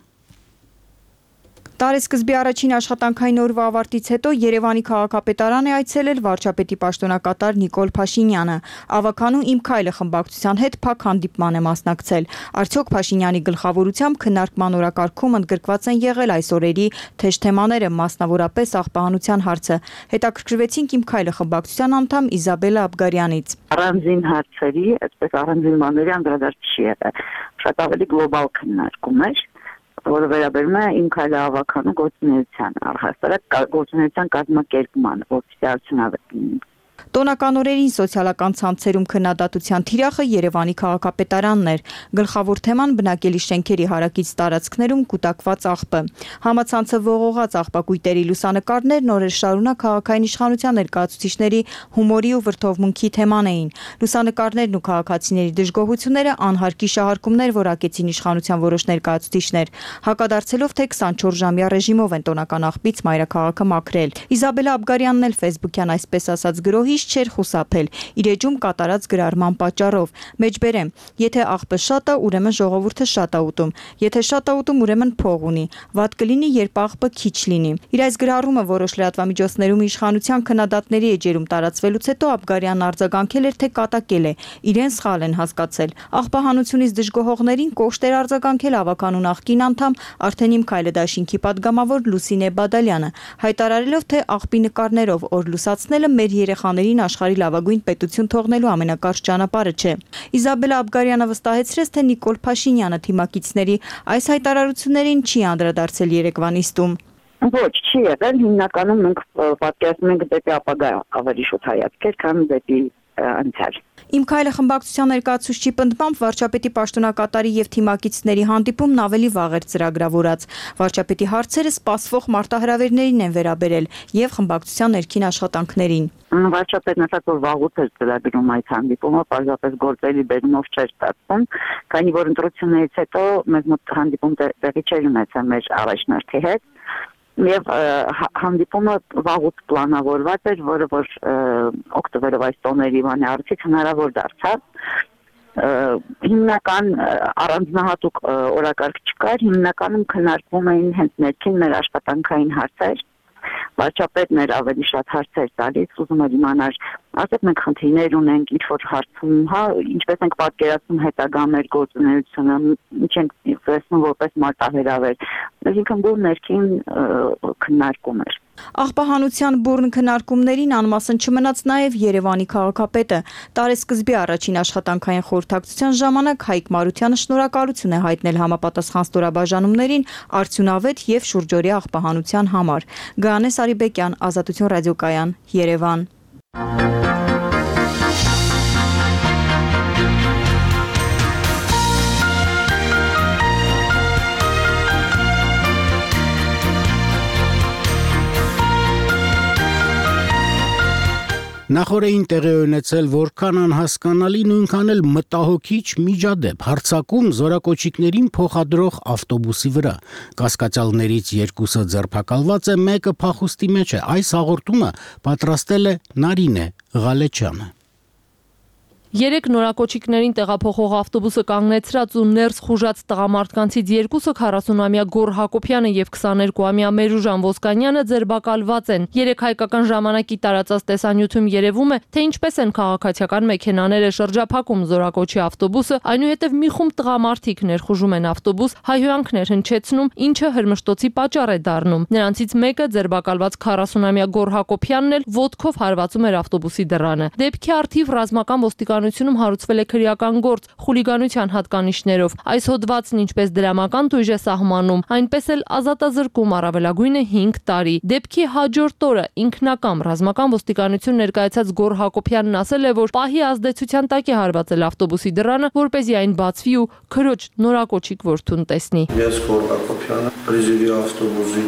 Տարեսկզբի առաջին աշխատանքային օրվա ավարտից հետո Երևանի քաղաքապետարան է այցելել վարչապետի պաշտոնակատար Նիկոլ Փաշինյանը։ Ավականու Իմ քայլը խմբակցության հետ փակ հանդիպման է մասնակցել։ Արդյոք Փաշինյանի գլխավորությամբ քննարկման օրակարգում ընդգրկված են եղել այս օրերի թեժ թեմաները, մասնավորապես աղբահանության հարցը։ Հետաքրքրվեցինք Իմ քայլը խմբակցության անդամ Իզաբելա Աբգարյանից։ Առանձին հարցերի, այսպես առանձին բաների անդրադարձ չի եղել։ Շատ ավելի գլոբալ քննարկում էր, որը վերաբերում է Իմ քայլը ավականու գործունեության, առհասարակ գործունեության կազմակերպման, որպեսզի արդյունավետ լինի։ Տոնական օրերին սոցիալական ցանցերում քննադատության թիրախը Երևանի քաղաքապետարանն էր։ Գլխավոր թեման բնակելի շենքերի հարակից տարածքներում կուտակված աղբը։ Համացանցը ողողած աղբակույտերի լուսանկարներն օրեր շարունակ քաղաքային իշխանության ներկայացուցիչների հումորի ու վրդովմունքի թեման էին։ Լուսանկարներն ու քաղաքացիների դժգոհությունները անհարկի շահարկումներ որակեցին իշխանության որոշ ներկայացուցիչներ, հակադարձելով թե քսանչորս ժամյա ռեժիմով են տոնական աղբից մայրաքաղաքը մաքրել։ Իզաբելա Աբգարյանն էլ Facebook-յան այսպես ասած գրոհի չէր խուսափել իր էջում կատարած գրառման պատճառով։ Մեջբերեմ, եթե աղբը շատ է, ուրեմն ժողովուրդը շատ է ուտում, եթե շատ է ուտում, ուրեմն փող ունի, վատ կլինի, երբ աղբը քիչ լինի։ Իր այս գրառումը որոշ լրատվամիջոցներում իշխանության քննադատների էջերում տարածվելուց հետո Աբգարյանն արձագանքել էր, թե կատակել է, իրեն սխալ են հասկացել։ Աղբահանությունից դժգոհողներին կոշտ էր արձագանքել ավականու նախկին անդամ արդեն Իմ քայլը դաշինքի падգամավոր Լուսինե Բադալյանը, հայտարարելով, թե աղբի նկարներով օր լուսացնելը մեր երեխաներին աշխարհի լավագույն պետություն թողնելու ամենակարճ ճանապարհը չէ։ Իզաբելա Աբգարյանը վստահեցրեց, թե Նիկոլ Փաշինյանը թիմակիցների այս հայտարարություններին չի անդրադարձել երեկվա նիստում։ Ոչ, չի եղել, հիմնականում մենք պատկերացնում ենք դեպի ապագա ավելի շուտ հայացքեր, քան դեպի անցյալ։ Իմ քայլը խմբակցության ներկայացուցչի պնդմամբ վարչապետի պաշտոնակատարի եւ թիմակիցների հանդիպումն ավելի վաղ էր ծրագրավորած։ Վարչապետի հարցերը սպասվող մարտահրավերներին են վերաբերել եւ խմբակցության ներքին աշխատանքներին։ Վարչապետն ասաց, որ վաղուց էր ծրագրում այդ հանդիպումը, պարզապես գործերի բերումով չէր ստացվում, քանի որ ընտրություններից հետո մեզ մոտ հանդիպում տեղի չէր ունեցել մեր առաջնորդի հետ։ Եվ հանդիպումը վաղուց պլանավորված էր, որը որ օկտոբերով այս տոների բանի արդյոք հնարավոր դարձավ։ Հիմնական առանձնահատուկ օրակարգ չկար, հիմնականում քննարկվում էին հենց ներքին մեր աշխատանքային հարցեր։ Վարչապետն էր ավելի շատ հարցեր տալիս, ուզում էր իմանալ, ասեք մենք խնդիրներ ունենք, ինչ որ հարցում, հա, ինչպես ենք պատկերացնում հետագա մեր գործունեությունը, ինչ ենք տեսնում որպես մարտահրավեր։ Այսինքն բուն ներքին քննարկում էր։ Աղբահանության բուռն քննարկումներին անմասն չմնաց նաև Երևանի քաղաքապետը։ Տարեսկզբի առաջին աշխատանքային խորհրդակցության ժամանակ Հայկ Մարությանը շնորհակալություն է հայտնել համապատասխան ստորաբաժանումներին արդյունավետ եւ շուրջօրյա աղբահանության համար։ Գայանե Սարիբեկյան, Ազատություն ռադիոկայան, Երևան։ Նախորդին տեղի ունեցել որքան անհասկանալի նույնքան էլ մտահոգիչ միջադեպ հարցակում զորակոչիկներին փոխադրող ավտոբուսի վրա կասկածյալներից երկուսը ձերբակալված է, մեկը փախուստի մեջ է։ Այս հաղորդումը պատրաստել է Նարինե Ղալեչյանը։ Երեք նորակոչիկներին տեղափոխող ավտոբուսը կանգնեցրած ու ներս խուժած տղամարդկանցից երկուսը քառասունամյա Գոռ Հակոբյանը եւ քսաներկուամյա Մերուժան Ոսկանյանը ձերբակալված են։ Երեք հայկական ժամանակի տարածած տեսանյութում երևում է, թե ինչպես են քաղաքացիական մեքենաները շրջափակում զորակոչի ավտոբուսը, այնուհետև մի խումբ տղամարդիկ ներխուժում են ավտոբուս, հայհոյանքներ հնչեցնում, ինչը հրմշտոցի պատճառ է դառնում։ Նրանցից մեկը ձերբակալված քառասունամյա Գոռ Հակոբյանն էլ ոտքով հարվածում էր ավտոբուսի դռանը։ Դեպքի առթիվ ռազմական ոստիկանությունում հարուցվել է քրեական գործ խուլիգանության հատկանիշներով։ Այս հոդվածն ինչպես դրամական տույժ է սահմանում, այնպես էլ ազատազրկում առավելագույնը հինգ տարի։ Դեպքի հաջորդ օրը ինքնակամ ռազմական ոստիկանություն ներկայացած Գոռ Հակոբյանն ասել է, որ պահի ազդեցության տակ է հարվածել ավտոբուսի դռանը, որպեսզի այն բացվի ու քրոջ նորակոչիկ որդուն տեսնի։ Ես Գոռ Հակոբյանը պրիզիվի ավտոբուսի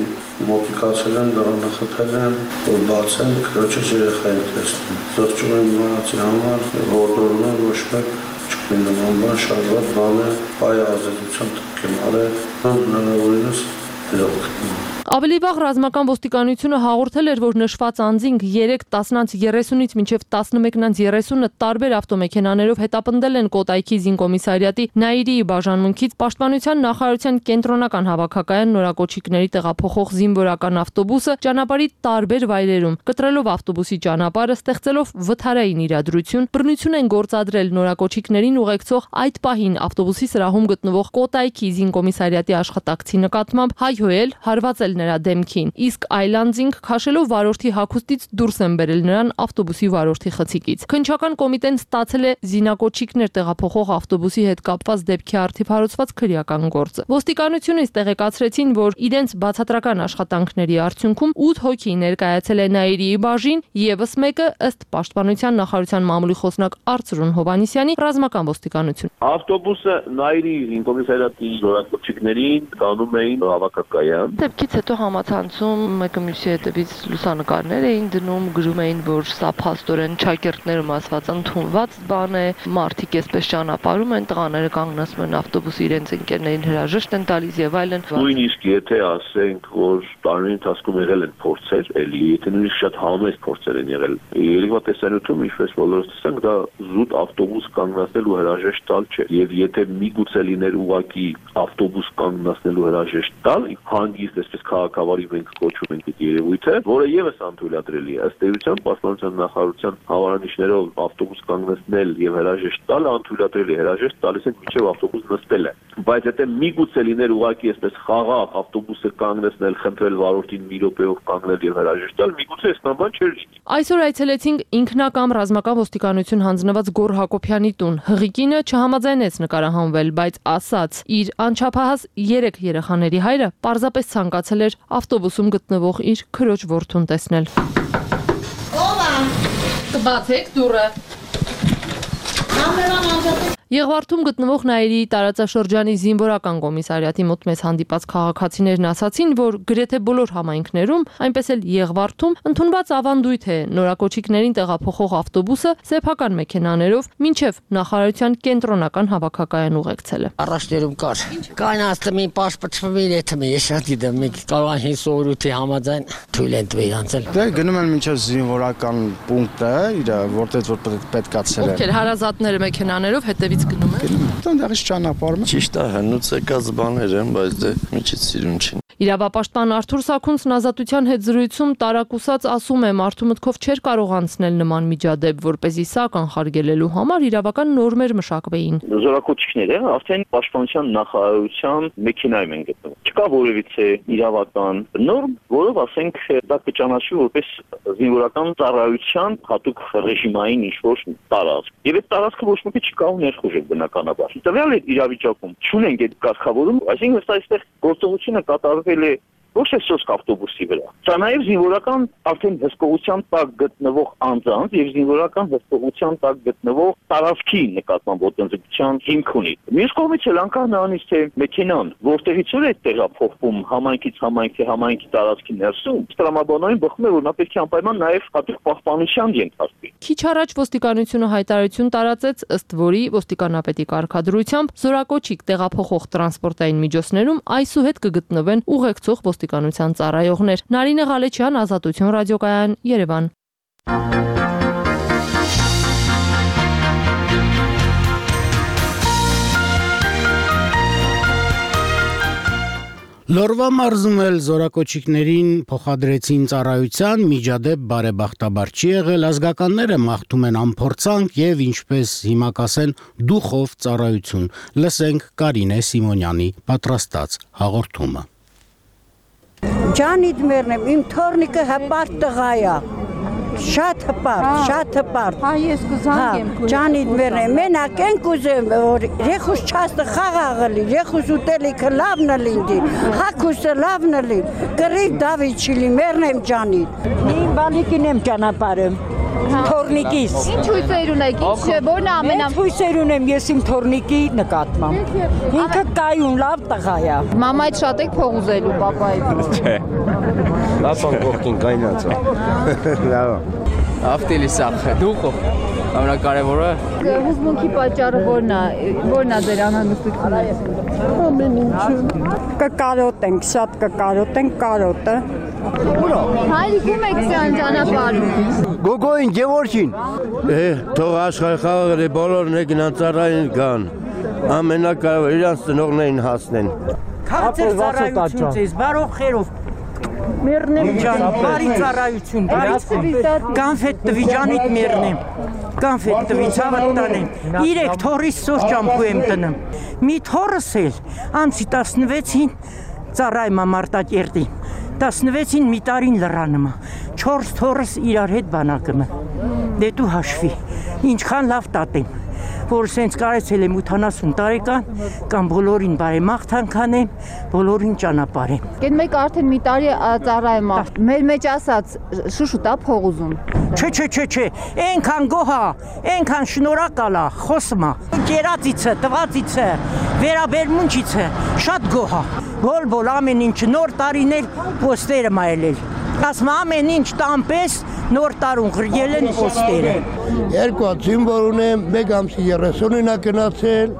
մոտիկացել եմ, դռանը խփել եմ, որ բացեն, քրոջս երեխային տեսնում։ Զղջում եմ իմանացի համար, որտորում եմ ոչ մեկ չկին նման բան, շարված բան է, պահի ազդեցության տակ եմ արել, հնարավորինս դրող։ Ավելի վաղ ռազմական ոստիկանությունը հաղորդել էր, որ նշված անձինք երեք տասնից երեսունից մինչև տասնմեկից երեսունը տարբեր ավտոմեքենաներով հետապնդել են Կոտայքի զինկոմիսարիատի Նաիրիի բաժանմունքից Պաշտպանության նախարարության կենտրոնական հավաքակայան նորակոչիկների տեղափոխող զինվորական ավտոբուսը ճանապարհի տարբեր վայրերում, կտրելով ավտոբուսի ճանապարհը, ստեղծելով վթարային իրադրություն, բռնություն են գործադրել նորակոչիկներին ուղեկցող այդ պահին ավտոբուսի սրահում գտնվող Կոտայքի զինկոմիսարիատի աշխատակցի նկատմամբ հայհոյել, հարվածել նրա դեմքին, իսկ այլանձինք քաշելով վարորդի հագուստից դուրս են բերել նրան ավտոբուսի վարորդի խցիկից։ Քննչական կոմիտեն ստացել է զինակոչիկներ տեղափոխող ավտոբուսի հետ կապված դեպքի առթիվ հարուցված քրեական գործը։ Ոստիկանությունից տեղեկացրեցին, որ իրենց բացատրական աշխատանքների արդյունքում ութ հոգի ներկայացել է Նաիրիի բաժին, եւս մեկը ըստ Պաշտպանության նախարարության մամուլի խոսնակ Արծրուն Հովհաննիսյանի ռազմական ոստիկանություն։ Ավտոբուսը Նաիրիի զինկոմիսարիատի զորակոչիկներին տանում էին հավաքակայան։ Դեպքից հետո համացանցում մեկը մյուսի հետևից լուսանկարներ էին դնում, գրում էին, որ սա փաստորեն ճակերտներում ասված ընդունված բան է, մարդիկ այսպես ճանապարհում են, տղաները կանգնացնում են ավտոբուսի, իրենց ընկերներին հրաժեշտ են տալիս եւ այլն։ Նույնիսկ եթե ասենք, որ տարի ընթացքում եղել են փորձեր, էլի եթե նույնիսկ շատ համեստ փորձեր են եղել, երևա տեսանյութում ինչպես բոլորս տեսանք, դա զուտ ավտոբուս կանգնացնելու հրաժեշտ տալ չէ։ Եվ եթե միգուցե լիներ ուղակի ավտոբուս կանգնացնելու հրաժեշտ տալ, հանգիստ այսպես քաղաքավարի մենք կոչում ենք այդ երևույթը, որը եւս անթույլատրելի է։ Ըստ էության Պաշտպանության նախարարության հավարանիշներով ավտոբուս կանգնեցնել եւ հրաժեշտ տալ անթույլատրելի, հրաժեշտ տալիս են մինչեւ ավտոբուս նստել է։ Բայց եթե միգուցե լիներ ուղակի այսպես խաղաղ ավտոբուսը կանգնեցնել, խնդրել վարորդին մի րոպեով կանգնել եւ հրաժեշտ տալ, միգուցե այս բան չէր լինի։ Այսօր այցելեցինք ինքնակամ ռազմական ոստիկանություն հանձնված Գոռ Հակոբյանի տուն։ Հղիկինը չհամաձայնեց նկարահանվել, բայց ասաց, իր անչափահաս երեք երեխաների հայրը պարզապես ցանկացել էր ավտոբուսում գտնվող իր քրոջ որդուն տեսնել։ Ո՞վ է։ Կբացեք դուռը։ Համերան անջատեք։ Եղվարդում գտնվող Նաիրիի տարածաշրջանի զինվորական կոմիսարիատի մոտ մեզ հանդիպած քաղաքացիներն ասացին, որ գրեթե բոլոր համայնքներում, այնպես էլ Եղվարդում ընդունված ավանդույթ է նորակոչիկներին տեղափոխող ավտոբուսը սեփական մեքենաներով մինչև նախարարության կենտրոնական հավաքակայան ուղեկցելը։ Առաջներում կար։ Կային աստմի պաշտպատվում էր եթե մի շատ գիտեմ, մի կարող են սովորույթի համաձայն թույլ են տվել անցել։ Դե գնում են մինչև զինվորական պունկտը, իր որտեղ որ պետք է ցել։ Ովքեր հարազատները մեքենաներով հետևի գնում են։ Տնդեղից ճանապարհում։ Ճիշտ է, հնուց եկած բաներ են, բայց դե միջից սիրուն չին։ Իրավապաշտպան Արթուր Սաքունցն ազատության հետ զրույցում տարակուսած ասում է, մարդու մտքով չէր կարող անցնել նման միջադեպ, որպեսզի սա կանխարգելելու համար իրավական նորմեր մշակվեին։ Զորակոչիկները արդեն Պաշտպանության նախարարության մեքենայում են գտնվում։ Չկա որևիցե իրավական նորմ, որով ասենք դա կճանաչվի որպես զինվորական ծառայության հատուկ ռեժիմային ինչ-որ տարածք։ Եվ այդ տարածքը ոչ մեկը չի կարող ներխուժել բնականաբար։ Տվյալ իրավիճակում չունենք այդ կարգավորում, այսինքն այստեղ գործողությունը կատարվել է ոչ թե սոսկ ավտոբուսի վրա։ Սա նաև զինվորական արդեն հսկողության տակ գտնվող անձանց եւ զինվորական հսկողության տակ գտնվող տարածքի նկատմամբ ոտնձգության հիմք ունի։ Մյուս կողմից էլ անկախ նրանից թե մեքենան որտեղից է տեղափոխվում համայնքից համայնքի համայնքի տարածքի ներսում, տրամաբանային բխում է, որ նա պետք է անպայման նաև հատուկ պահպանության ենթարկվի։ Քիչ առաջ ոստիկանությունը հայտարարություն տարածեց, ըստ որի ոստիկանապետի կարգադրությամբ զորակոչիկ տեղափոխող տրանսպորտային միջոցներում այսուհետ կգտնվեն ուղեկցող ոստիկանության ծառայողներ։ Նարինե Ղալեչյան, Ազատություն ռադիոկայան, Երևան։ Լորվա մարզում էլ զորակոչիկներին փոխադրեցին ծառայության, միջադեպ բարեբախտաբար չի եղել, ազգականները մաղթում են անփորձանք եւ ինչպես հիմա կասեն դուխով ծառայություն։ Լսենք Կարինե Սիմոնյանի պատրաստած հաղորդումը։ Ջանիդ մերնեմ, իմ թորնիկը հպարտ տղա է։ Շատ հպարտ, շատ հպարտ։ Հա, ես կուզանք եմ քույր։ Ջանիդ մերնեմ, մենակ են կուզեմ, որ ռեխուս չաստը խաղաղը լի, ռեխուս ուտելիքը լավն է լինի, հակուսը լավն է լինի, կռիվ Դավիթ չի լի, մերնեմ ջանիդ։ Իմ բանիկին եմ ճանապարհում։ Թորնիկիս։ Ինչ հույսեր ունեք, ինչ որն է ամենա։ Հույսեր ունեմ ես իմ թորնիկի նկատմամբ։ Ինքը կայուն լավ տղա է։ Մամայից շատ եք փող ուզելու պապայից։ Չէ։ Լապան կողքին կայնած է։ Լավ։ Ավտելի սախ, դուխով։ Ամենակարևորը հուզմունքի պատճառը որն է, որն է ձեր անհանգստությունը։ Ամեն ինչը։ Կկարոտենք, շատ կկարոտենք կարոտը։ Հայրիկում եք սյան ճանապարհում։ Գոգոին Գևորգին։ Է, թող աշխարհի խաղաղը բոլորն եկան ծառային կան։ Ամենակարևորը իրանց ծնողներին հասնեն։ Քաղցր ծառայություն ձեզ, բարով խերով։ Մերնեմ ջան, բարի ծառայություն, բարի կանֆետ տվի ջանիդ մերնեմ, կանֆետ տվի ցավատանեմ, իրեք թորիս սոս ճամփու եմ տնեմ, մի թորս էլ, ամսի տասնվեցին ծառայմա Մարտակերտի, տասնվեցին մի տարին լրանմա, չորս թորս իրար հետ բանակըմը, դե դու հաշվի, ինչքան լավ տատեմ, որ սենց կարեցել եմ ութանասուն տարեկան, կամ բոլորին բարեմաղթանք անեմ, բոլորին ճանապարհեմ։ Կեն մեկ արդեն մի տարի ծառայում է, մեր մեջ ասած շուշուտա փող ուզում։ Չէ, չէ, չէ, չէ, այնքան գոհա, այնքան շնորհակալ է, խոսում է։ Գերածիցը, տվածիցը, վերաբերմունքիցը, շատ գոհա։ Բոլ-բոլ ամեն ինչ նոր տարիներ պոստերը մայելել։ Ասում ամեն ինչ տամպես նոր տարուն գրել են պոստերը։ Երկու զինվոր ունեմ, մեկ ամսի երեսունին է գնացել,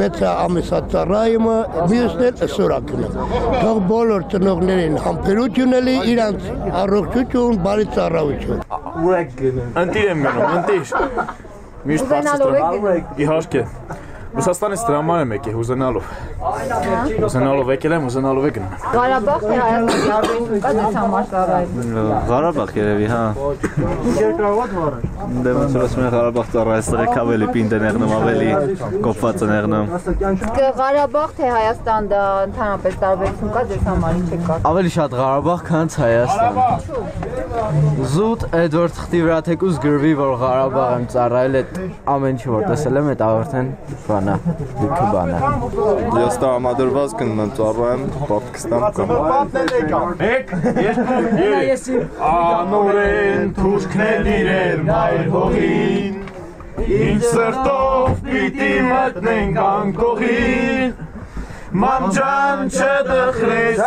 վեցը ամիսա ծառայումը, մյուսն էլ սորակն է։ Թող բոլոր ծնողներին համբերություն էլի, իրանց առողջություն, բարի ծառայություն։ Ուր եք գնում։ Ընտիր եմ գնում, ընտիր։ Միշտ բարձր իհարկե։ Ռուսաստանից դրաման եմ եկել ուզենալով։ Ուզենալով եկել եմ, ուզենալով եք գնում։ Ղարաբաղ թե Հայաստան կա դες համար ծառայում։ Ղարաբաղ երևի, հա։ Երկրորդ վարը։ Դե ոնց որ ասում են Ղարաբաղ ծառայստրեք ավելի պինդ ներնում, ավելի կոփված ներնում։ Ղարաբաղ թե Հայաստան դա ընդհանրապես տարբերություն կա դες համար ինչ է կա։ Ավելի շատ Ղարաբաղ, քան Հայաստան։ Զուտ Էդվարդ Խտի վրա թեկուզ գրվի, որ Ղարաբաղ եմ ծառայել, այդ ամեն ինչ որ տեսել եմ, այդ արդեն բանա, լիքը բանա։ Ես տրամադրված կնեմ ծառայեմ Պակիստան կամ։ Մեկ, երկու, երեք։ Անորեն թուրքներ իրեր մայր հողին, ինչ սրտով պիտի մտնենք անկողին, մանջան չդխրես,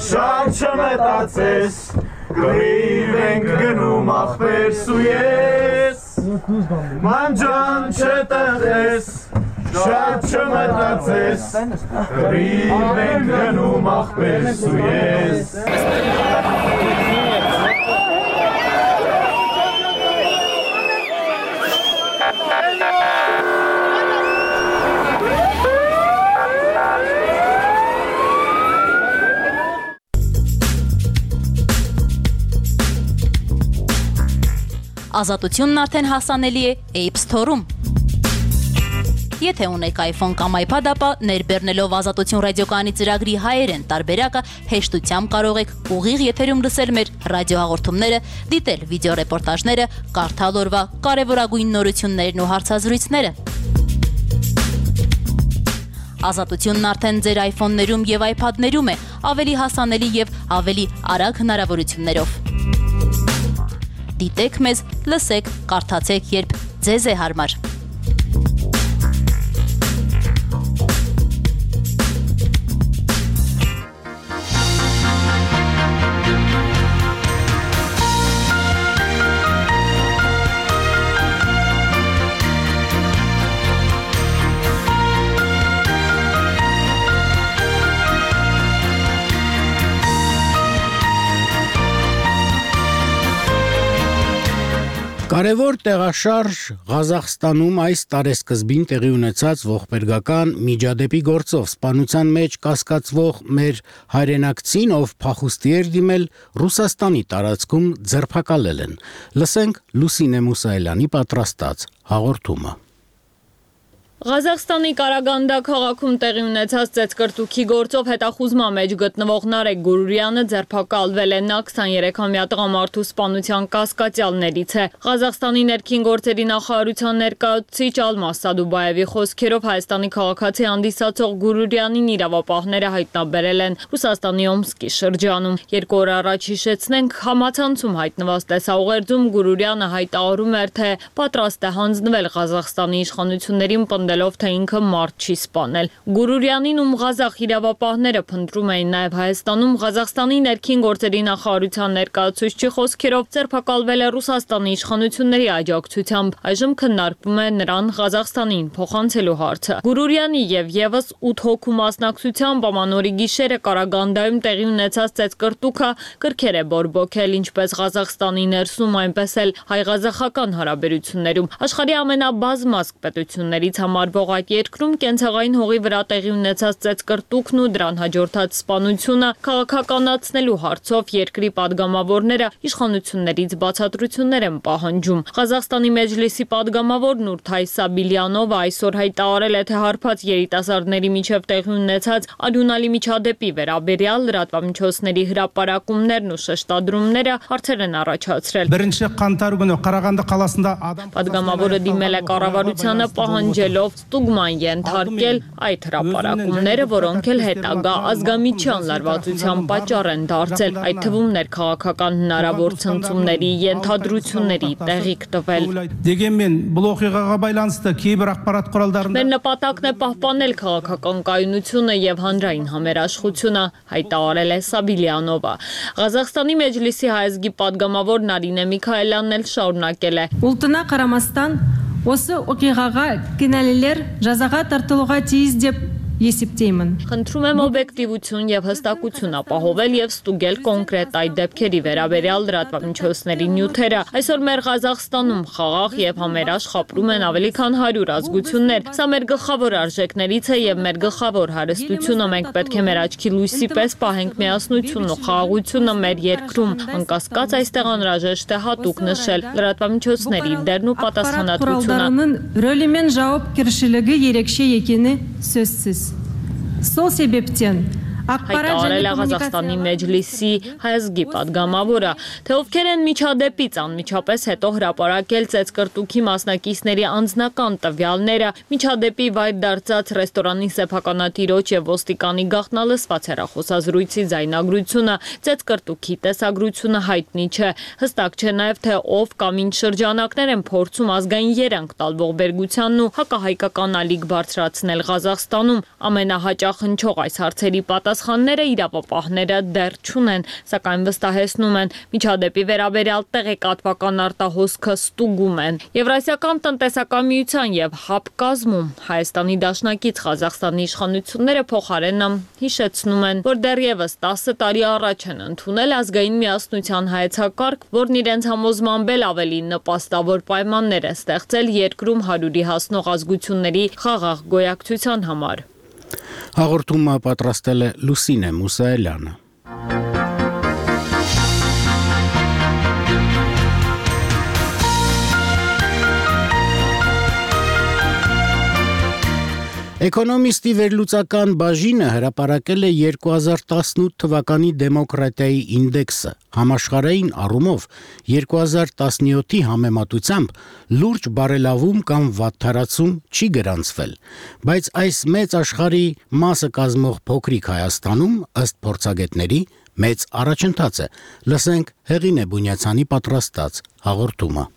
շատ չմետացես, գրիվ ենք գնում ախպերս ու ես, մանջան չդխրես, շատ չմետացես, գրիվ ենք գնում ախպերս ու ես։ Ազատությունն արդեն հասանելի է App Store-ում։ Եթե ունեք iPhone կամ iPad, ապա ներբեռնելով Ազատություն ռադիոկայանի ծրագրի հայերեն տարբերակը հեշտությամբ կարող եք ուղիղ եթերում լսել մեր ռադիոհաղորդումները, դիտել վիդեոռեպորտաժները, կարդալ օրվա կարևորագույն նորություններն ու հարցազրույցները։ Ազատությունն արդեն ձեր iPhone-ներում եւ iPad-ներում է, ավելի հասանելի եւ ավելի արագ հնարավորություններով։ Դիտեք մեզ, լսեք, կարդացեք, երբ ձեզ է հարմար։ Կարևոր տեղաշարժ Ղազախստանում այս տարեսկզբին տեղի ունեցած ողբերգական միջադեպի գործով սպանության մեջ կասկածվող մեր հայրենակցին, ով փախուստի էր դիմել, Ռուսաստանի տարածքում ձերբակալել են։ Լսենք Լուսինե Մուսայելյանի պատրաստած հաղորդումը։ Ղազախստանի Կարագանդա քաղաքում տեղի ունեցած ծեծկրտուքի գործով հետախուզման մեջ գտնվող Նարեկ Գուրուրյանը ձերբակալվել է, նա քսաներեքամյա տղամարդու սպանության կասկածյալներից է։ Ղազախստանի ներքին գործերի նախարարության ներկայացուցիչ Ալմաս Սադուբաևի խոսքերով Հայաստանի քաղաքացի հանդիսացող Գուրուրյանին իրավապահները հայտնաբերել են Ռուսաստանի Օմսկի շրջանում։ Երկու օր առաջ հիշեցնենք, համացանցում հայտնված տեսաուղերձում Գուրուրյանը հայտարարում էր, թե պատրաստ է հանձնվել Ղազախստանի իշխանություններին ով թե ինքը մարդ չի սպանել։ Գուրուրյանին, ում ղազախ իրավապահները փնտրում էին նաև Հայաստանում, Ղազախստանի ներքին գործերի նախարարության ներկայացուցչի խոսքերով ձերբակալվել է Ռուսաստանի իշխանությունների աջակցությամբ։ Այժմ քննարկվում է նրան Ղազախստանին փոխանցելու հարցը։ Գուրուրյանի եւ եւս ութ հոգու մասնակցությամբ ամանորի գիշերը Կարագանդայում տեղի ունեցած ծեծկրտուքը կրքեր է բորբոքել ինչպես Ղազախստանի ներսում, այնպես էլ հայ-ղազախական հարաբերություններում։ Աշխարհի ամենաբազմազգ պետություններից համարվող այդ երկրում կենցաղային հողի վրա տեղի ունեցած ծեծկրտուքն ու դրան հաջորդած սպանությունը քաղաքականացնելու հարցով երկրի падգամավորները իշխանություններից բացատրություններ են պահանջում։ Ղազախստանի մեջլիսի падգամավոր Նուրթայ Սաբիլյանովը այսօր հայտարարել է, թե հարբած երիտասարդների միջև տեղի ունեցած արյունալի միջադեպի վերաբերյալ լրատվամիջոցների հրապարակումներն ու շեշտադրումները հարցեր են առաջացրել։ Падգամավորը դիմել է կառավարությանը պահանջելով ստուգման ենթարկել այդ հրապարակումները, որոնք էլ հետագա ազգամիջյան լարվածության պատճառ են դարձել, այդ թվում ներքաղաքական հնարավոր ցնցումների, ենթադրությունների տեղիք տվել։ Մեր նպատակն է պահպանել քաղաքական կայունությունը եւ հանրային համերաշխությունը, հայտարարել է Սաբիլյանովը։ Ղազախստանի մեջլիսի հայազգի падգամավոր Նարինե Միքայելյանն էլ շարունակել է։ Ուլտնա Կարամաստան Осы оқиғаға кінәлілер жазаға тартылуға тиіс деп есептеймін։ Խնդրում եմ օբյեկտիվություն եւ հստակություն ապահովել եւ ստուգել կոնկրետ այդ դեպքերի վերաբերյալ լրատվամիջոցների նյութերը։ Այսօր մեր Ղազախստանում խաղաղ եւ համերաշխ ապրում են ավելի քան հարյուր ազգություններ։ Սա մեր գլխավոր արժեքներից է եւ մեր գլխավոր հարստությունը։ Մենք պետք է մեր աչքի լույսի պես պահենք միասնությունն ու խաղաղությունը մեր երկրում։ Անկասկած այստեղ անհրաժեշտ է հատուկ նշել լրատվամիջոցների դերն ու պատասխանատվությունը։ Ռոլի мен ժողովրդի երեքշե եկені сөзсіз։ Сол себептен հայտարարել է Ղազախստանի մեջլիսի հայազգի падգամավորը, թե ովքեր են միջադեպից անմիջապես հետո հրապարակել ծեծկրտուքի մասնակիցների անձնական տվյալները, միջադեպի վայր դարձած ռեստորանի սեփականատիրոջ եւ ոստիկանի գաղտնալսված հեռախոսազրույցի ձայնագրությունը, ծեծկրտուքի տեսագրությունը հայտնի չէ։ Հստակ չէ նաեւ, թե ով կամ ինչ շրջանակներ են փորձում ազգային երանգ տալ ողբերգությանն ու հակահայկական ալիք բարձրացնել Ղազախստանում։ Ամենահաճախ հնչող այս հարցերի պատասխանները իրավապահները դեռ չունեն, սակայն վստահեցնում են, միջադեպի վերաբերյալ տեղեկատվական արտահոսքը ստուգում են։ Եվրասիական տնտեսական միության եւ ՀԱՊ կազմում Հայաստանի դաշնակից Ղազախստանի իշխանությունները փոխարենը հիշեցնում են, որ դեռևս տասը տարի առաջ են ընդունել ազգային միասնության հայեցակարգ, որն իրենց համոզմամբ էլ ավելի նպաստավոր պայմաններ է ստեղծել երկրում հարյուրի հասնող ազգությունների խաղաղ գոյակցության համար։ Հաղորդումը պատրաստել է Լուսինե Մուսայելյանը։ Էկոնոմիստի վերլուծական բաժինը հրապարակել է երկու հազար տասնութ թվականի դեմոկրատիայի ինդեքսը։ Համաշխարհային առումով երկու հազար տասնյոթի համեմատությամբ լուրջ բարելավում կամ վատթարացում չի գրանցվել, բայց այս մեծ աշխարհի մասը կազմող փոքրիկ Հայաստանում, ըստ փորձագետների, մեծ առաջընթաց է։ Լսենք Հեղինե Բունյացյանի պատրաստած հաղորդումը։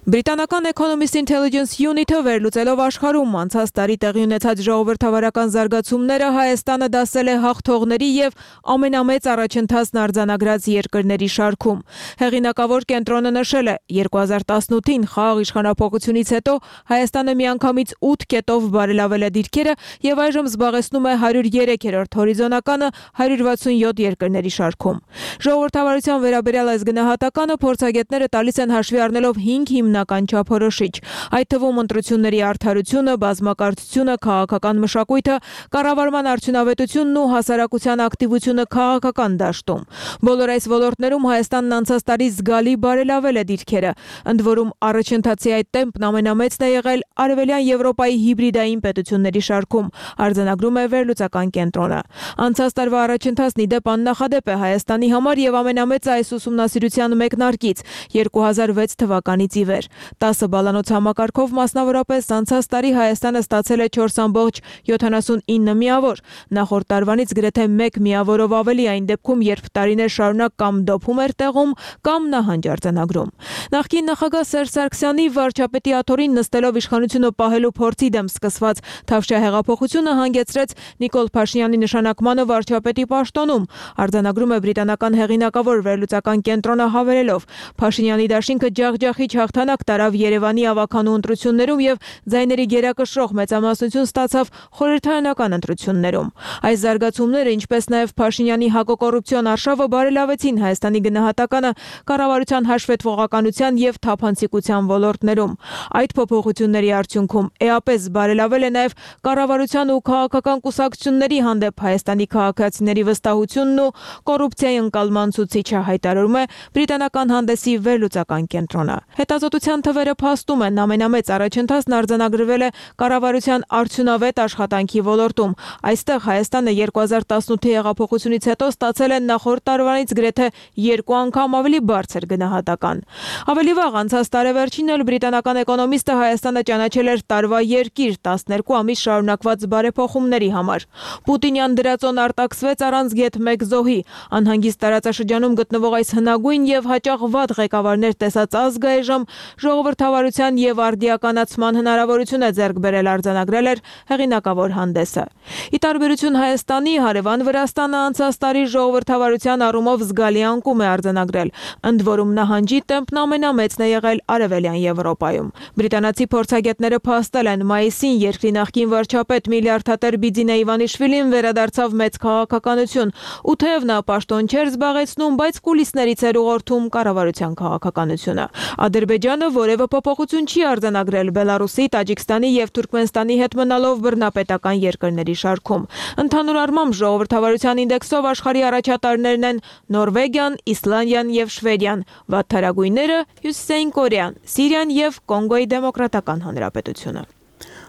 Բրիտանական Economist Intelligence Unit-ը վերլուծելով աշխարհում անցած տարի տեղի ունեցած ժողովրդավարական զարգացումները Հայաստանը դասել է հաղթողների եւ ամենամեծ առաջընթացն արձանագրած երկրների շարքում։ Հեղինակավոր կենտրոնը նշել է, երկու հազար տասնութին խաղաղ իշխանափոխությունից հետո Հայաստանը միանգամից ութ կետով բարելավել է դիրքերը եւ այժմ զբաղեցնում է հարյուր երեքերորդ հորիզոնականը հարյուր վաթսունյոթ երկրների շարքում։ Ժողովրդավարության վերաբերյալ այս գնահատականը փորձագետները տալիս են հաշվի առնելով հինգ հիմնական չափորոշիչ, այդ թվում ընտրությունների արդարությունը, բազմակարծությունը, քաղաքական մշակույթը, կառավարման արդյունավետությունն ու հասարակության ակտիվությունը քաղաքական դաշտում։ Բոլոր այս ոլորտներում Հայաստանն անցած տարի զգալի բարելավել է դիրքերը, ընդ որում առաջընթացի այդ տեմպն ամենամեծն է եղել Արևելյան Եվրոպայի հիբրիդային պետությունների շարքում, արձանագրում է վերլուծական կենտրոնը։ Անցած տարվա առաջընթացն ի դեպ աննախադեպ է Հայաստանի համար եւ ամենամեծը այս ուսումնասիրության մեկնարկից երկու հազար վեց թվականից ի վեր։ տասը բալանոց համակարգով մասնավորապես անցած տարի Հայաստանը ստացել է չորս ամբողջ յոթանասունինը միավոր, նախորդ տարվանից գրեթե մեկ միավորով ավելի այն դեպքում, երբ տարիներ շարունակ կամ դոփում էր տեղում, կամ նահանջ արձանագրում։ Նախկին նախագահ Սերժ Սարգսյանի վարչապետի աթոռին նստելով իշխանությունը պահելու փորձի դեմ սկսված Թավշյա հեղափոխությունը հանգեցրեց Նիկոլ Փաշինյանի նշանակմանը վարչապետի պաշտոնում, արձանագրում է բրիտանական հեղինակավոր վերլուծական կենտրոնը հավելելով. Փաշինյանի դաշինքը ջախջախիչ հաղթանակ տարավ Երևանի ավականու ընտրություններում եւ ձայների գերակշռող մեծամասնություն ստացավ խորհրդարանական ընտրություններում։ Այս զարգացումները, ինչպես նաեւ Փաշինյանի հակոկոռուպցիոն արշավը բարելավեցին Հայաստանի գնահատականը կառավարության հաշվետվողականության եւ թափանցիկության ոլորտներում։ Այդ փոփոխությունների արդյունքում էապես բարելավել է նաեւ կառավարության ու քաղաքական կուսակցությունների հանդեպ Հայաստանի քաղաքացիների վստահությունն ու կոռուպցիայի ընկալման ցուցիչը, հայտարարում է բրիտանական հանդեսի վերլուծական կենտրոնը։ Հետազոտության թվերը փաստում են, ամենամեծ առաջընթացն արձանագրվել է կառավարության արդյունավետ աշխատանքի ոլորտում։ Այստեղ Հայաստանը երկու հազար տասնութի հեղափոխությունից հետո ստացել է նախորդ տարվանից գրեթե երկու անգամ ավելի բարձր գնահատական։ Ավելի վաղ անցած տարեվերջին էլ բրիտանական էկոնոմիստը Հայաստանը ճանաչել էր տարվա երկիր տասներկու ամիս շարունակված բարեփոխումների համար։ Պուտինյան դրածոն արտաքսվեց առանց գեթ մեկ զոհի։ Անհանգիստ տարածաշրջանում գտնվող այս հնագույն եւ հաճախ վատ ղեկավարներ տեսած ազգը այժմ ժողովրդավարության եւ արդիականացման հնարավորություն է ձեռք բերել, արձանագրել էր հեղինակավոր հանդեսը։ Ի տարբերություն Հայաստանի, հարևան Վրաստանը անցած տարի ժողովրդավարության առումով զգալի անկում է արձանագրել, ընդ որում նահանջի տեմպն ամենամեծն է եղել Արևելյան Եվրոպայում։ Բրիտանացի փորձագետները փաստել են մայիսին երկրի նախկին վարչապետ միլիարդատեր Բիձինե Իվանիշվիլին վերադարձավ մեծ քաղաքականություն, ու թեև նա պաշտոն չէր զբաղեցնում, բայց կուլիսներից էր ուղղորդում կառավարության քաղաքականությունը։ Ադրբեջանը որևէ փոփոխություն չի արձանագրել Բելարուսի, Տաջիկստանի եւ Թուրքմենստանի հետ մնալով բռնապետական երկրների շարքում։ Ընդհանուր առմամբ ժողովրդավարության ինդեքսով աշխարհի առաջատարներն են Նորվեգիան, Իսլանդիան եւ Շվեդիան, վատթարագույնները Հյուսիսային Կորեան, Սիրիան եւ Կոնգոյի Դեմոկրատական Հանրապետությունը։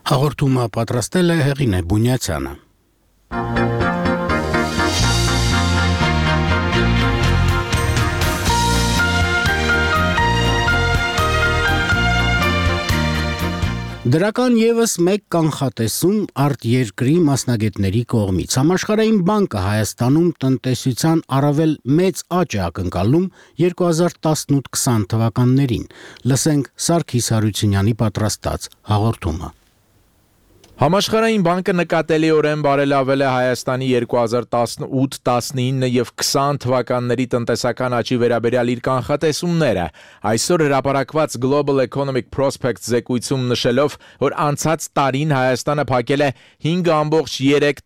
Հաղորդումը պատրաստել է Հեղինե Բունյացյանը։ Դրական եւս մեկ կանխատեսում արտերկրի մասնագետների կողմից։ Համաշխարհային բանկը Հայաստանում տնտեսության առավել մեծ աճ է ակնկալում երկու հազար տասնութ քսան թվականներին։ Լսենք Սարգիս Հարությունյանի պատրաստած հաղորդումը։ Համաշխարհային բանկը նկատելիորեն բարելավել է Հայաստանի երկու հազար տասնութ տասնինը եւ քսան թվականների տնտեսական աճի վերաբերյալ իր կանխատեսումները։ Այսօր հրապարակված Global Economic Prospects զեկույցում նշելով, որ անցած տարին Հայաստանը փակել է հինգ ամբողջ երեք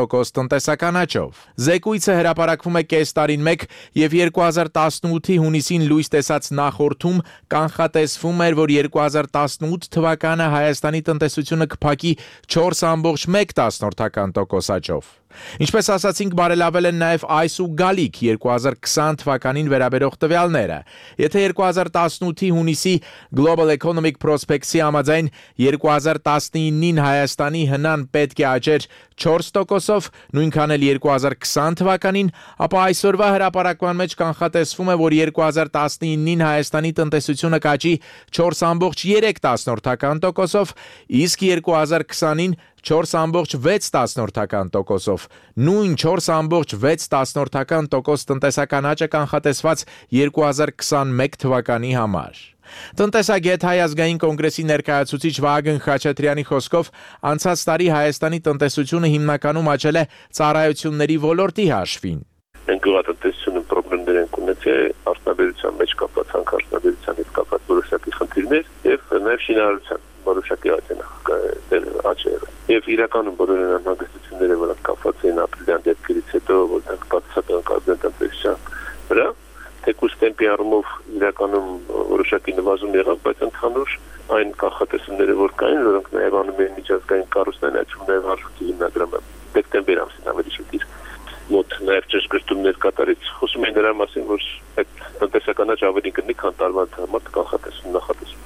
տոկոս տնտեսական աճով։ Զեկույցը հրապարակվում է կես տարին մեկ եւ երկու հազար տասնութի հունիսին լույս տեսած նախորդում կանխատեսվում էր, որ երկու հազար տասնութ թվականը Հայաստանի տնտեսությունը կփակի չորս ամբողջ մեկ տոկոս աճով։ Ինչպես ասացինք, բարելավել են նաև այս ու գալիք երկու հազար քսան թվականին վերաբերող տվյալները։ Եթե երկու հազար տասնութի հունիսի Global Economic Prospects-ի համաձայն երկու հազար տասնինին Հայաստանի հնան պետք է աճեր չորս տոկոսով, նույնքան էլ երկու հազար քսան թվականին, ապա այսօրվա հրապարակման մեջ կանխատեսվում է, որ երկու հազար տասնինին Հայաստանի տնտեսությունը կաճի չորս ամբողջ երեք տոկոսով, իսկ երկու հազար քսանին չորս ամբողջ վեց տոկոսով, նույն չորս ամբողջ վեց տոկոս տնտեսական աճը կանխատեսված երկու հազար քսանմեկ թվականի համար։ Տնտեսագետ Հայ ազգային կոնգրեսի ներկայացուցիչ Վահագն Խաչատրյանի խոսքով անցած տարի Հայաստանի տնտեսությունը հիմնականում աճել է ծառայությունների ոլորտի հաշվին։ Մենք գյուղատնտեսությունը խնդիրներ ենք ունեցել արտադրության մեջ կապված, արտադրության հետ կապված որոշակի խնդիրներ եւ նաեւ շինարարության որոշակի աճեր։ Եվ իրականում բոլոր անհանգստությունները, որոնք կապված են ապրիլյան դեպքերից հետո, որտեղ բացասական կազմեն տնտեսության վրա, թեկուզ տեմպի առումով իրականում որոշակի նվազում եղավ, բայց ընդհանուր այն կանխատեսումները, որ կային, որոնք նաև անում են միջազգային կառույցներում նաև հաշվի հիմնադրամը դեկտեմբեր ամսին ավելի շուտ մոտ նաև ճշգրտումներ կատարեց։ Խոսում են դրա մասին, որ այդ տնտեսական աճ ավելի կլինի, քան տարվա համար կանխատեսում նախատեսում։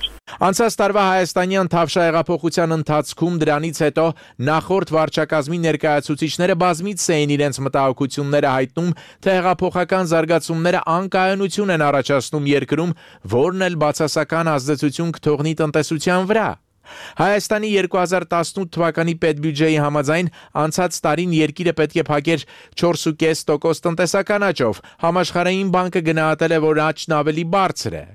Անցած տարվա հայաստանյան թավշա հեղափոխության ընթացքում դրանից հետո նախորդ վարչակազմի ներկայացուցիչները բազմիցս էին իրենց մտահոգությունները հայտնում, թե հեղափոխական զարգացումները անկայունություն են առաջացնում երկրում, որն էլ բացասական ազդեցություն կթողնի տնտեսության վրա։ Հայաստանի երկու հազար տասնութ թվականի պետբյուջեի համաձայն անցած տարին երկիրը պետք է փակեր չորս ու կես տոկոս տնտեսական աճով, համաշխարհային բանկը գնահատել է, որ աճն ավելի բարձր է։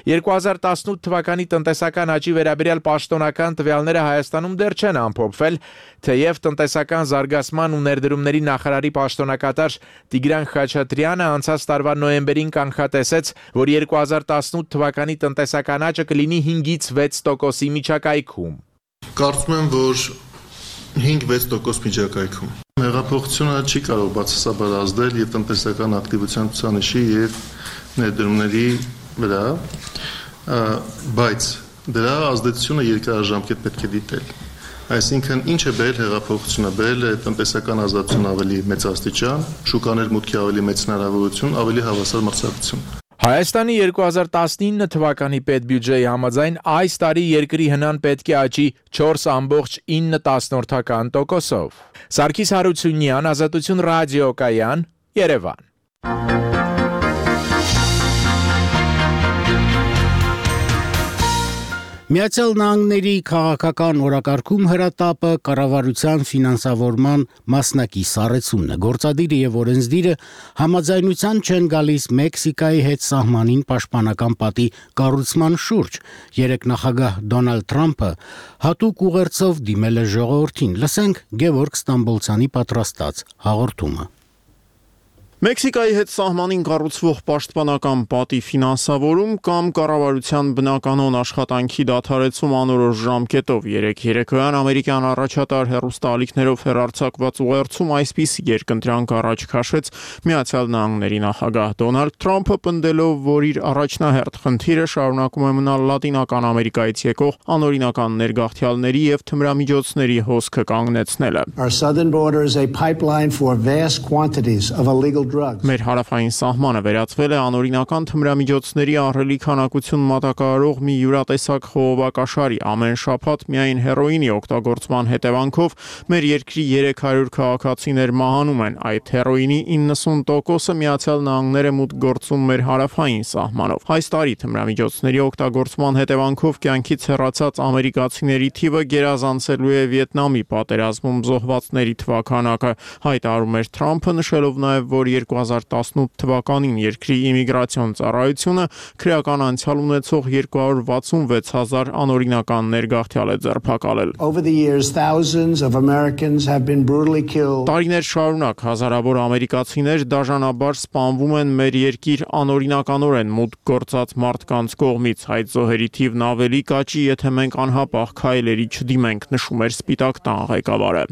երկու հազար տասնութ թվականի տնտեսական աճի վերաբերյալ պաշտոնական տվյալները Հայաստանում դեռ չեն ամփոփվել, թեև տնտեսական զարգացման ու ներդրումների նախարարի պաշտոնակատար Տիգրան Խաչատրյանը անցած տարվա նոյեմբերին կանխատեսեց, որ երկու հազար տասնութ թվականի տնտեսական աճը կլինի հինգից վեց տոկոսի միջակայքում։ Կարծում եմ, որ հինգ վեց տոկոս միջակայքում։ Հեղափոխությունը չի կարող բացասաբար ազդել եւ տնտեսական ակտիվության ցուցանիշի եւ ներդրումների վրա, բայց դրա ազդեցությունը երկարաժամկետ պետք է դիտել։ Այսինքն ինչ է բերել հեղափոխությունը, բերել է տնտեսական ազատություն ավելի մեծ աստիճան, շուկաներ մուտքի ավելի մեծ հնարավորություն, ավելի հավասար մրցակցություն։ Հայաստանի երկու հազար տասնինը թվականի պետբյուջեի համաձայն այս տարի երկրի հնան պետք է աճի չորս ամբողջ ինը տոկոսով։ Սարգիս Հարությունյան, Ազատություն ռադիոկայան, Երևան։ Միացյալ Նահանգների քաղաքական օրակարգում հրատապը կառավարության ֆինանսավորման մասնակի սառեցումն է։ Գործադիրը եւ օրենսդիրը համաձայնության չեն գալիս Մեքսիկայի հետ սահմանին պաշտպանական պատի կառուցման շուրջ։ Երեք նախագահ Դոնալդ Թրամփը հատուկ ուղերձով դիմել է ժողովրդին։ Լսենք Գևորգ Ստամբոլցյանի պատրաստած հաղորդումը։ Մեքսիկայի հետ սահմանին կառուցվող պաշտպանական պատի ֆինանսավորում կամ կառավարության բնականոն աշխատանքի դադարեցում անորոշ ժամկետով երեք երեկոյան ամերիկյան առաջատար հեռուստաալիքներով հեռարձակված ուղերձում այսպիսի երկընտրանք առաջ քաշեց Միացյալ Նահանգների նախագահ Դոնալդ Թրամփը, պնդելով, որ իր առաջնահերթ խնդիրը շարունակում է մնալ Լատինական Ամերիկայից եկող անօրինական ներգաղթյալների եւ թմրամիջոցների հոսքը կանգնեցնելը։ Our southern border is a pipeline for vast quantities of illegal Մեր հարավային սահմանը վերածվել է անօրինական թմրամիջոցների ահռելի քանակություն մատակարարող մի յուրատեսակ խողովակաշարի։ Ամեն շաբաթ միայն հերոինի օգտագործման հետևանքով մեր երկրի երեք հարյուր քաղաքացիներ մահանում են։ Այդ հերոինի իննսուն տոկոսը Միացյալ Նահանգները մուտք գործում մեր հարավային սահմանով։ Այս տարի թմրամիջոցների օգտագործման հետևանքով կյանքից հեռացած ամերիկացիների թիվը գերազանցելու է Վիետնամի պատերազմում զոհվածների թվականակը, հայտարարում էր Թրամփը, նշելով նաև, որ երկու հազար տասնութ թվականին երկրի իմիգրացիոն ծառայությունը քրեական անցյալ ունեցող երկու հարյուր վաթսունվեց հազար անօրինական ներգաղթյալ է ձերբակալել։ Տարիներ շարունակ հազարավոր ամերիկացիներ դաժանաբար սպանվում են մեր երկիր անօրինականորեն մուտք գործած մարդկանց կողմից։ Այդ զոհերի թիվն ավելի կաճի, եթե մենք անհապաղ քայլերի չդիմենք, նշում էր Սպիտակ տան ղեկավարը։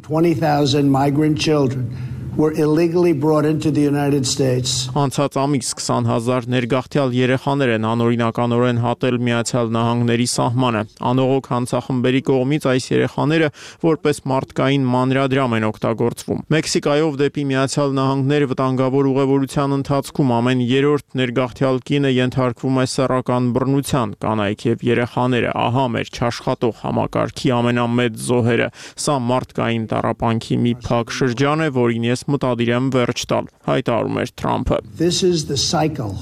were illegally brought into the United States. Անցած ամիս twenty thousand ներգաղթյալ երեխաներ են անօրինականորեն հատել Միացյալ Նահանգների սահմանը։ Անողոք հանցախմբերի կողմից այս երեխաները որպես մարդկային մանրադրամ են օգտագործվում։ Մեքսիկայով դեպի Միացյալ Նահանգներ վտանգավոր ուղևորության ընթացքում ամեն երրորդ ներգաղթյալ կինը ենթարկվում է սեռական բռնության, կանայք եւ երեխաները, ահա մեր չաշխատող համակարգի ամենամեծ զոհերը։ Սա մարդկային տառապանքի մի փակ շրջան է, որին ես մտադիր եմ վերջ տալ, հայտարարում էր Թրամփը։ This is the cycle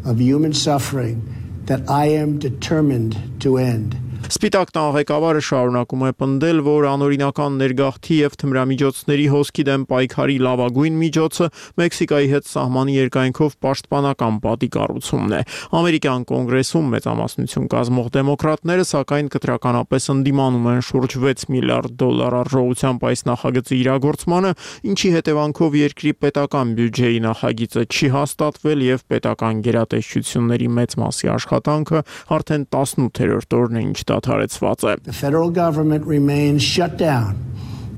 of human suffering that I am determined to end. Սպիտակ տան ղեկավարը շարունակում է պնդել, որ անօրինական ներգաղթի եւ թմրամիջոցների հոսքի դեմ պայքարի լավագույն միջոցը Մեքսիկայի հետ սահմանի երկայնքով պաշտպանական պատի կառուցումն է։ Ամերիկյան կոնգրեսում մեծամասնություն կազմող դեմոկրատները սակայն կտրականապես ընդդիմանում են շուրջ six միլիարդ դոլար արժողությամբ այս նախագծի իրագործմանը, ինչի հետևանքով երկրի պետական բյուջեի նախագիծը չի հաստատվել եւ պետական գերատեսչությունների մեծ մասի աշխատանքը արդեն eighty-eight օրն է ինչ դադարեցված է։ The federal government remains shut down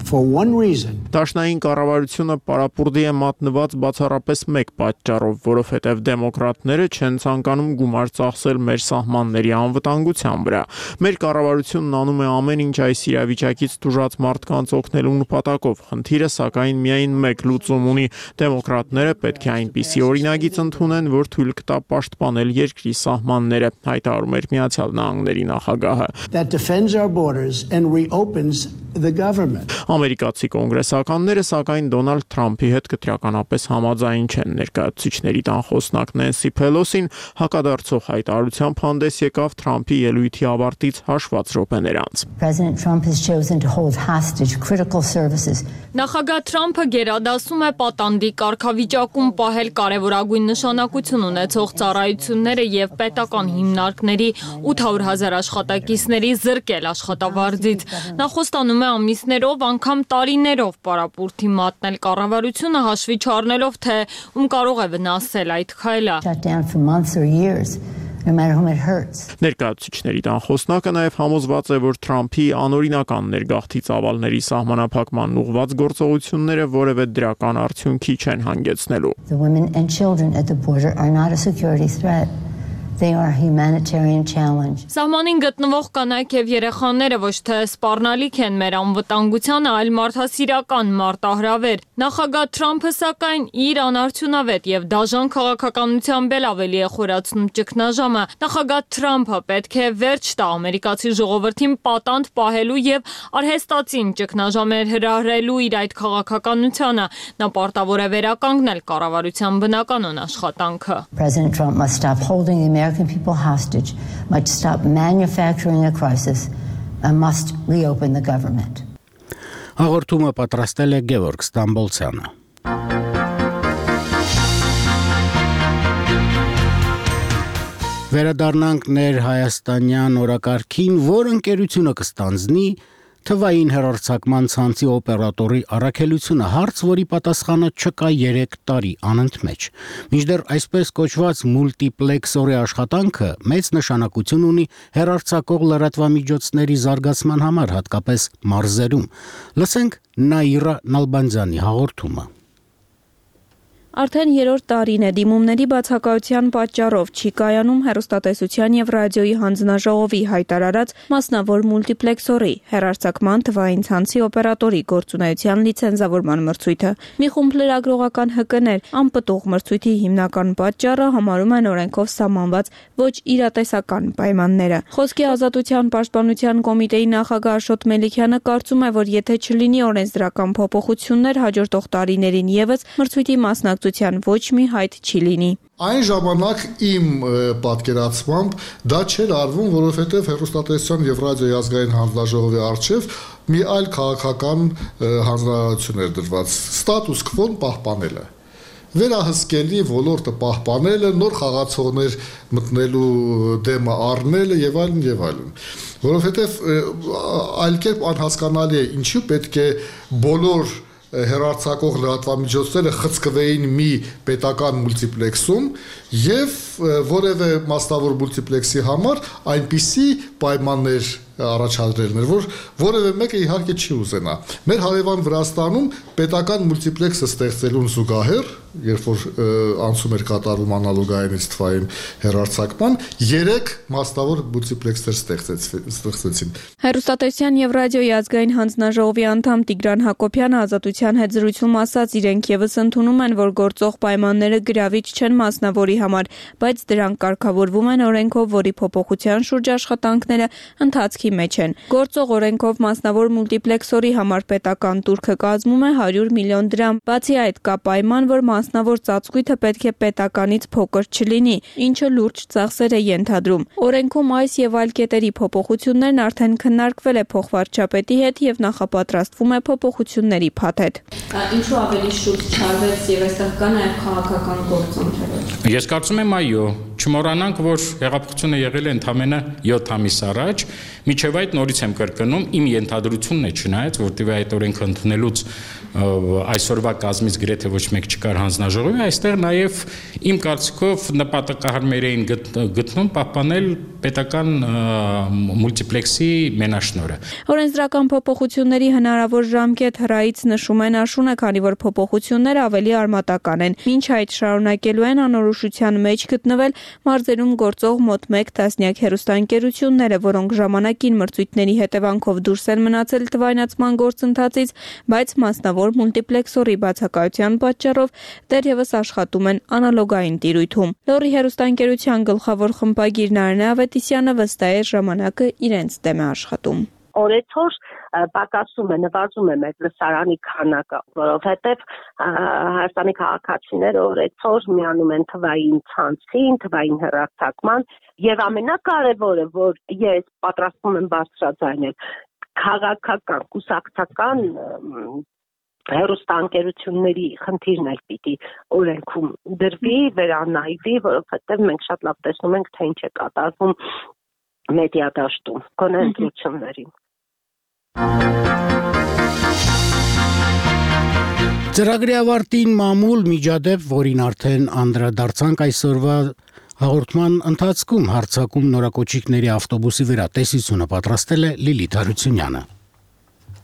for one reason. Դաշնային կառավարությունը պարապուրդի է մատնված բացառապես մեկ պատճառով, որովհետև դեմոկրատները չեն ցանկանում գումար ծախսել մեր սահմանների անվտանգության վրա։ Մեր կառավարությունն անում է ամեն ինչ այս իրավիճակից տուժած մարդկանց օգնելու նպատակով։ Խնդիրը սակայն միայն մեկ լուծում ունի։ Դեմոկրատները պետք է այնպիսի օրինագիծ ընդունեն, որ թույլ կտա պաշտպանել երկրի սահմանները, հայտարարում էր Միացյալ Նահանգների նախագահը։ That defends our borders and reopens the government. Ամերիկացի կոնգրեսականները սակայն Դոնալդ Թրամփի հետ կտրականապես համաձայն չեն։ Ներկայացուցիչների տան խոսնակ Նենսի Փելոսին հակադարձող հայտարարությամբ հանդես եկավ Թրամփի ելույթի ավարտից հաշված րոպեներ անց։ President Trump has chosen to hold hostage critical services. Նախագահ Թրամփը գերադասում է պատանդի կարգավիճակում պահել կարևորագույն նշանակություն ունեցող ծառայությունները եւ պետական հիմնարկների eight hundred thousand աշխատակիցների զրկել աշխատավարձից։ Նա խոստանում է ամիսներով, անգամ տարիներով պարապուրդի մատնել կառավարությունը հաշվի չառնելով, թե ում կարող է վնասել այդ քայլը։ Shut down for months or years. No matter whom it hurts. Ներկայացուցիչների տան խոսնակը նաև համոզված է, որ Թրամփի անօրինական ներգաղթի ծավալների սահմանափակման ուղղված գործողությունները որևէ դրական արդյունքի չեն հանգեցնելու։ The women and children at the border are not a security threat. They are a humanitarian challenge. Սահմանին գտնվող կանայք եւ երեխաները ոչ թե սպառնալիք են մեր անվտանգությանը, այլ մարդասիրական մարտահրավեր։ Նախագահ Թրամփը սակայն իր անարդյունավետ եւ դաժան քաղաքականությամբ էլ ավելի է խորացնում ճգնաժամը։ Նախագահ Թրամփը պետք է վերջ տա ամերիկացի ժողովրդին պատանդ պահելու եւ արհեստացին ճգնաժամեր հրահրելու իր այդ քաղաքականությանը։ Նա պարտավոր է վերականգնել կառավարության բնականon աշխատանքը։ President Trump must stop holding the American people hostage, must stop manufacturing a crisis, and must reopen the government. Հաղորդումը պատրաստել է Գևորգ Ստամբոլցյանը։ Վերադառնանք ներհայաստանյան օրակարգին, որ ընկերությունը կստանձնի թվային հեռարձակման ցանցի օպերատորի առաքելությունը, հարց, որի պատասխանը չկա երեք տարի անընդմեջ։ Մինչդեռ այսպես կոչված մուլտիպլեքսորի աշխատանքը մեծ նշանակություն ունի հեռարձակող լրատվամիջոցների զարգացման համար, հատկապես մարզերում։ Լսենք Նաիրա Նալբանդյանի հաղորդումը։ Արդեն երրորդ տարին է դիմումների բացակայության պատճառով չի կայանում հեռուստատեսության եւ ռադիոյի հանձնաժողովի հայտարարած մասնավոր մուլտիպլեքսորի հեռարձակման թվային ցանցի օպերատորի գործունեության լիցենզավորման մրցույթը։ Մի խումբ լրագրողական հկներ անպտուղ մրցույթի հիմնական պատճառը համարում են օրենքով սահմանված ոչ իրատեսական պայմանները։ Խոսքի ազատության պաշտպանության կոմիտեի նախագահ Աշոտ Մելիքյանը կարծում է, որ եթե չլինի օրենսդրական փոփոխություններ հաջորդող տարիներին եւս մրցույթի մասնակցության ոչ մի հայտ չի լինի։ Այն ժամանակ իմ պատկերացմամբ դա չէր արվում, որովհետև հեռուստատեսության եւ ռադիոյի ազգային հանձնաժողովի առջև մի այլ քաղաքական հանրահայտություն էր դրված՝ ստատուս քվոն պահպանելը, վերահսկելի ոլորտը պահպանելը, նոր խաղացողներ մտնելու դեմը առնելը եւ այլն եւ այլն։ Որովհետև այլ կերպ անհասկանալի է ինչու պետք է բոլոր հեռարձակող լրատվամիջոցները խցկվեին մի պետական մուլտիպլեքսում եւ որևէ մասնավոր մուլտիպլեքսի համար այնպիսի պայմաններ առաջադրելն էր, որ որևէ մեկը իհարկե չի ուզենա։ Մեր հարևան Վրաստանում պետական մուլտիպլեքսը ստեղծելուն զուգահեռ, երբ որ անցում էր կատարում անալոգայինից թվային հեռարձակման, երեք մասնավոր մուլտիպլեքսեր ստեղծեցին։ Հեռուստատեսության եւ ռադիոյի ազգային հանձնաժողովի անդամ Տիգրան Հակոբյանը Ազատության հետ զրույցում ասաց, իրենք եւս ընդունում են, որ գործող պայմանները գրավիչ չեն մասնավորի համար, բայց դրանք կարգավորվում են օրենքով, որի փոփոխության շուրջ աշխատանքները ընթացքի մեջ են։ Գործող օրենքով մասնավոր մուլտիպլեքսորի համար պետական տուրքը կազմում է հարյուր միլիոն դրամ։ Բացի այդ, կա պայման, որ մասնավոր ծածկույթը պետք է պետականից փոքր չլինի, ինչը լուրջ ծախսեր է ենթադրում։ Օրենքում այս եւ այլ կետերի փոփոխություններն արդեն քննարկվել է փոխվարչապետի հետ եւ նախապատրաստվում է փոփոխությունների փաթեթ։ Ինչու ավելի շուտ չարվեց եւ այստեղ կա նաեւ քաղաքական գործընթացներ։ Ես կարծում եմ այո, չմոռանանք, որ հեղափոխությունը եղել է ընդամենը յոթ ամիս առաջ, միջև այդ նորից եմ կրկնում, իմ ենթադրությունն է, չնայած, որտեղ այդ օրենքը ընդունելուց այսօրվա կազմից գրեթե ոչ մեկ չկար հանձնաժողովի, այստեղ նաև իմ կարծիքով նպատակահարմեր էին գտնում պահպանել պետական մուլտիպլեքսի մենաշնորհը։ Օրենսդրական փոփոխությունների հնարավոր ժամկետ հրայից նշում են Աշունը, քանի որ փոփոխությունները ավելի արմատական են։ Մինչ այդ շարունակելու են անորոշության մեջ գտնվել մարզերում գործող մոտ մեկ տասնյակ հեռուստաընկերությունները, որոնք ժամանակին մրցույթների հետևանքով դուրս են մնացել թվայնացման գործընթացից, բայց մասնավոր մուլտիպլեքսորի բացակայության պատճառով դեռևս աշխատում են անալոգային տիրույթում։ Լոռի հեռուստաընկերության գլխավոր խմբագիր Նարինե Ավետիսյանը վստահ է, ժամանակը իրենց դեմ է աշխատում։ Օրեցօր պակասում է, նվազում է մեր լսարանի քանակը, որովհետև Հայաստանի քաղաքացիները օրեցօր միանում են թվային ցանցին, թվային հեռարձակման, եւ ամենակարևորը, որ ես պատրաստվում եմ բարձրաձայնել, քաղաքական, կուսակցական հեռուստաընկերությունների խնդիրն էլ պիտի օրենքում դրվի, վերանայվի, որովհետև մենք շատ լավ տեսնում ենք, թե ինչ է կատարվում մեդիա դաշտում, գոնե ընտրություններին։ Ծրագրի ավարտին մամուլ միջադեպ, որին արդեն անդրադարձանք այսօրվա հաղորդման ընթացքում, հարձակում նորակոչիկների ավտոբուսի վրա տեսությունը պատրաստել է Լիլիթ Հարությունյանը։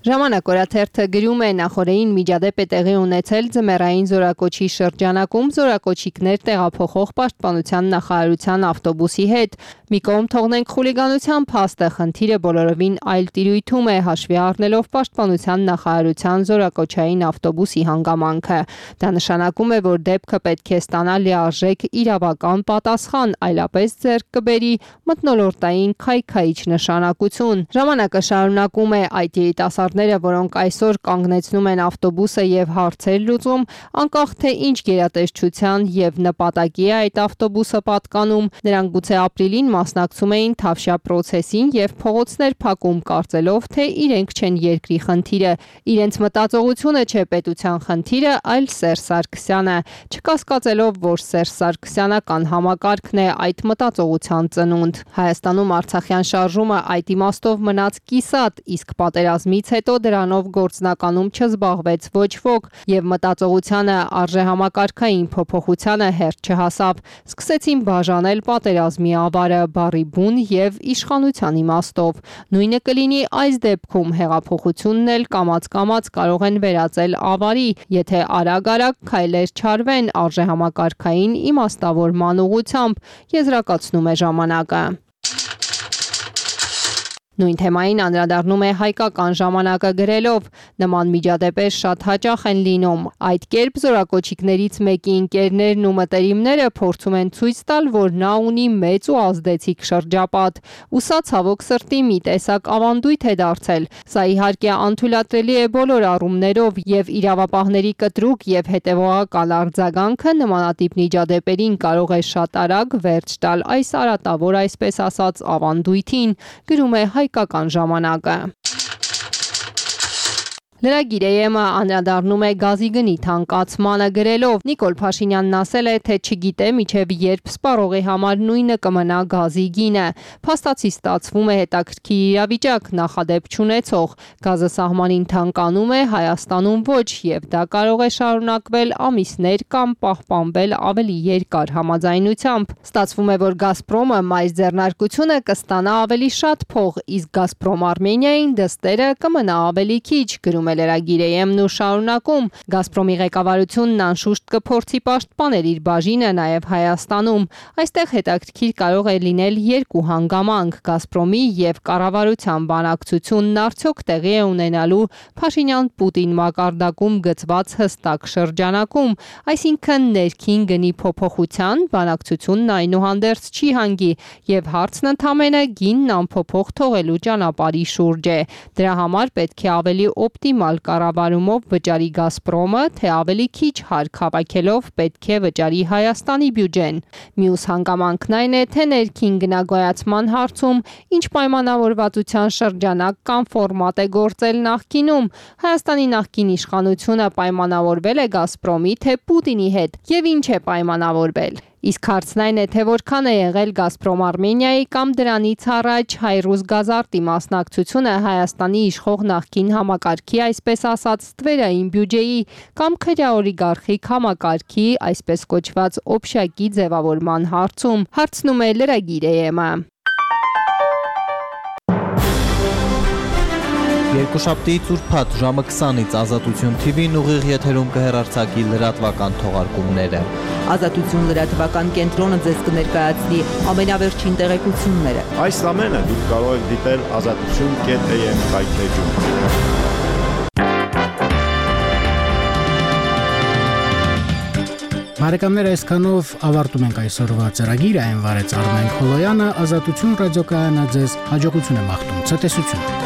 Ժամանակ օրաթերթը գրում է, նախորդին միջադեպ է տեղի ունեցել ձմեռային զորակոչի շրջանակում զորակոչիկներ տեղափոխող պաշտպանության նախարարության ավտոբուսի հետ։ Մի կողմ թողնենք խուլիգանության փաստը, խնդիրը բոլորովին այլ տիրույթում է, հաշվի առնելով պաշտպանության նախարարության զորակոչային ավտոբուսի հանգամանքը։ Դա նշանակում է, որ դեպքը պետք է ստանա լիարժեք իրավական պատասխան, այլապես ձեռք կբերի մթնոլորտային քայքայիչ նշանակություն։ Ժամանակը շարունակում է, այդ երիտասարդները, որոնք այսօր կանգնեցնում են ավտոբուսը եւ հարցեր լուծում, անկախ թե ինչ գերատեսչության եւ նպատակի է այդ ավտոբուսը պատկանում, նրանք գուցե ապրիլին մասնակցում էին Թավշյա պրոցեսին եւ փողոցներ փակում, կարծելով, թե իրենք չեն երկրի խնդիրը, իրենց մտածողությունը չէ պետության խնդիրը, այլ Սերժ Սարգսյանը, չկասկածելով, որ Սերժ Սարգսյանական համակարգն է այդ մտածողության ծնունդ։ Հայաստանում Արցախյան շարժումը այդ իմաստով մնաց կիսատ, իսկ պատերազմից հետո դրանով գործնականում չզբաղվեց ոչ ոք եւ մտածողությանը արժեհամակարգային փոփոխությանը հերթ չհասավ։ Սկսեցին բաժանել պատերազմի ավարը բառի բուն եւ իշխանության իմաստով։ Նույնը կլինի այս դեպքում, հեղափոխությունն էլ կամաց-կամաց կարող են վերածել ավարի, եթե արագ-արագ քայլեր չարվեն արժեհամակարգային իմաստավորման ուղղությամբ, եզրակացնում է ժամանակը։ Նույն թեմային անդրադառնում է Հայկական ժամանակը գրելով. նման միջադեպեր շատ հաճախ են լինում։ Այդ կերպ զորակոչիկներից մեկի ընկերներն ու մտերիմները փորձում են ցույց տալ, որ նա ունի մեծ ու ազդեցիկ շրջապատ։ Ու սա ցավոք սրտի մի տեսակ ավանդույթ է դարձել։ Սա իհարկե անթույլատրելի է բոլոր առումներով եւ իրավապահների կտրուկ եւ հետեւողական արձագանքը նմանատիպ միջադեպերին կարող է շատ արագ վերջ տալ այս արատավոր, այսպես ասած, ավանդույթին, գրում է Հայկական ժամանակը։ Լրագիր Էյ-ը անդրադառնում է գազի գնի թանկացմանը գրելով. Նիկոլ Փաշինյանն ասել է, թե չգիտե միջև երբ սպառողի համար նույնը կմնա գազի գինը։ Փաստացի ստացվում է հետաքրքիր իրավիճակ, նախադեպ չունեցող։ Գազը սահմանին թանկանում է, Հայաստանում ոչ, եւ դա կարող է շարունակվել ամիսներ կամ պահպանվել ավելի երկար համաձայնությամբ։ Ստացվում է, որ Գազպրոմը մայր ձեռնարկությունը կստանա ավելի շատ փող, իսկ Գազպրոմ Արմենիային դստերը կմնա ավելի քիչ, գրում է լրագիր Էյ-ն ու շարունակում. Գազպրոմի ղեկավարությունն անշուշտ կփորձի պաշտպանել իր բաժինը նաև Հայաստանում։ Այստեղ հետաքրքիր կարող է լինել երկու հանգամանք՝ Գազպրոմի եւ կառավարության բանակցությունն արդյոք տեղի է ունենալու Փաշինյան-Պուտին մակարդակում գծված հստակ շրջանակում, այսինքն ներքին գնի փոփոխության, բանակցությունն այնուհանդերձ չի հանգի եւ հարցն ընդամենը գինն անփոփոխ թողելու ճանապարհի շուրջ է։ Դրա համար պետք է ավելի օպտիմալ կառավարումով վճարի Գազպրոմը, թե ավելի քիչ հարկ հավաքելով պետք է վճարի Հայաստանի բյուջեն։ Մյուս հանգամանքն այն է, թե ներքին գնագոյացման հարցում ինչ պայմանավորվածության շրջանակ կամ ֆորմատ է գործել նախկինում։ Հայաստանի նախկին իշխանությունը պայմանավորվել է Գազպրոմի, թե Պուտինի հետ եւ ինչ է պայմանավորվել։ Իսկ հարցն այն է, թե որքան է եղել Գազպրոմ Արմենիայի կամ դրանից առաջ Հայրուզ Գազարտի մասնակցությունը Հայաստանի իշխող նախկին համակարգի, այսպես ասած, ստվերային բյուջեի կամ քրեօլիգարխիկ համակարգի, այսպես կոչված օբշակի ձևավորման հարցում, հարցնում է լրագիր Էյ-ը։ Երկուշաբթիից ուրբաթ ժամը քսանից Ազատություն թի վին ուղիղ եթերում կհեռարձակի լրատվական թողարկումները։ Ազատություն լրատվական կենտրոնը ձեզ կներկայացնի ամենավերջին տեղեկությունները։ Այս ամենը դուք կարող եք դիտել ազատություն կետ էյ էմ հայթեջում։ Բարեկամներ, այսքանով ավարտում ենք այսօրվա ծրագիրը, այն վարեց Արմեն Խոլոյանը, Ազատություն ռադիոկայանը ձեզ հաջողություն է մաղթում, ցտեսություն։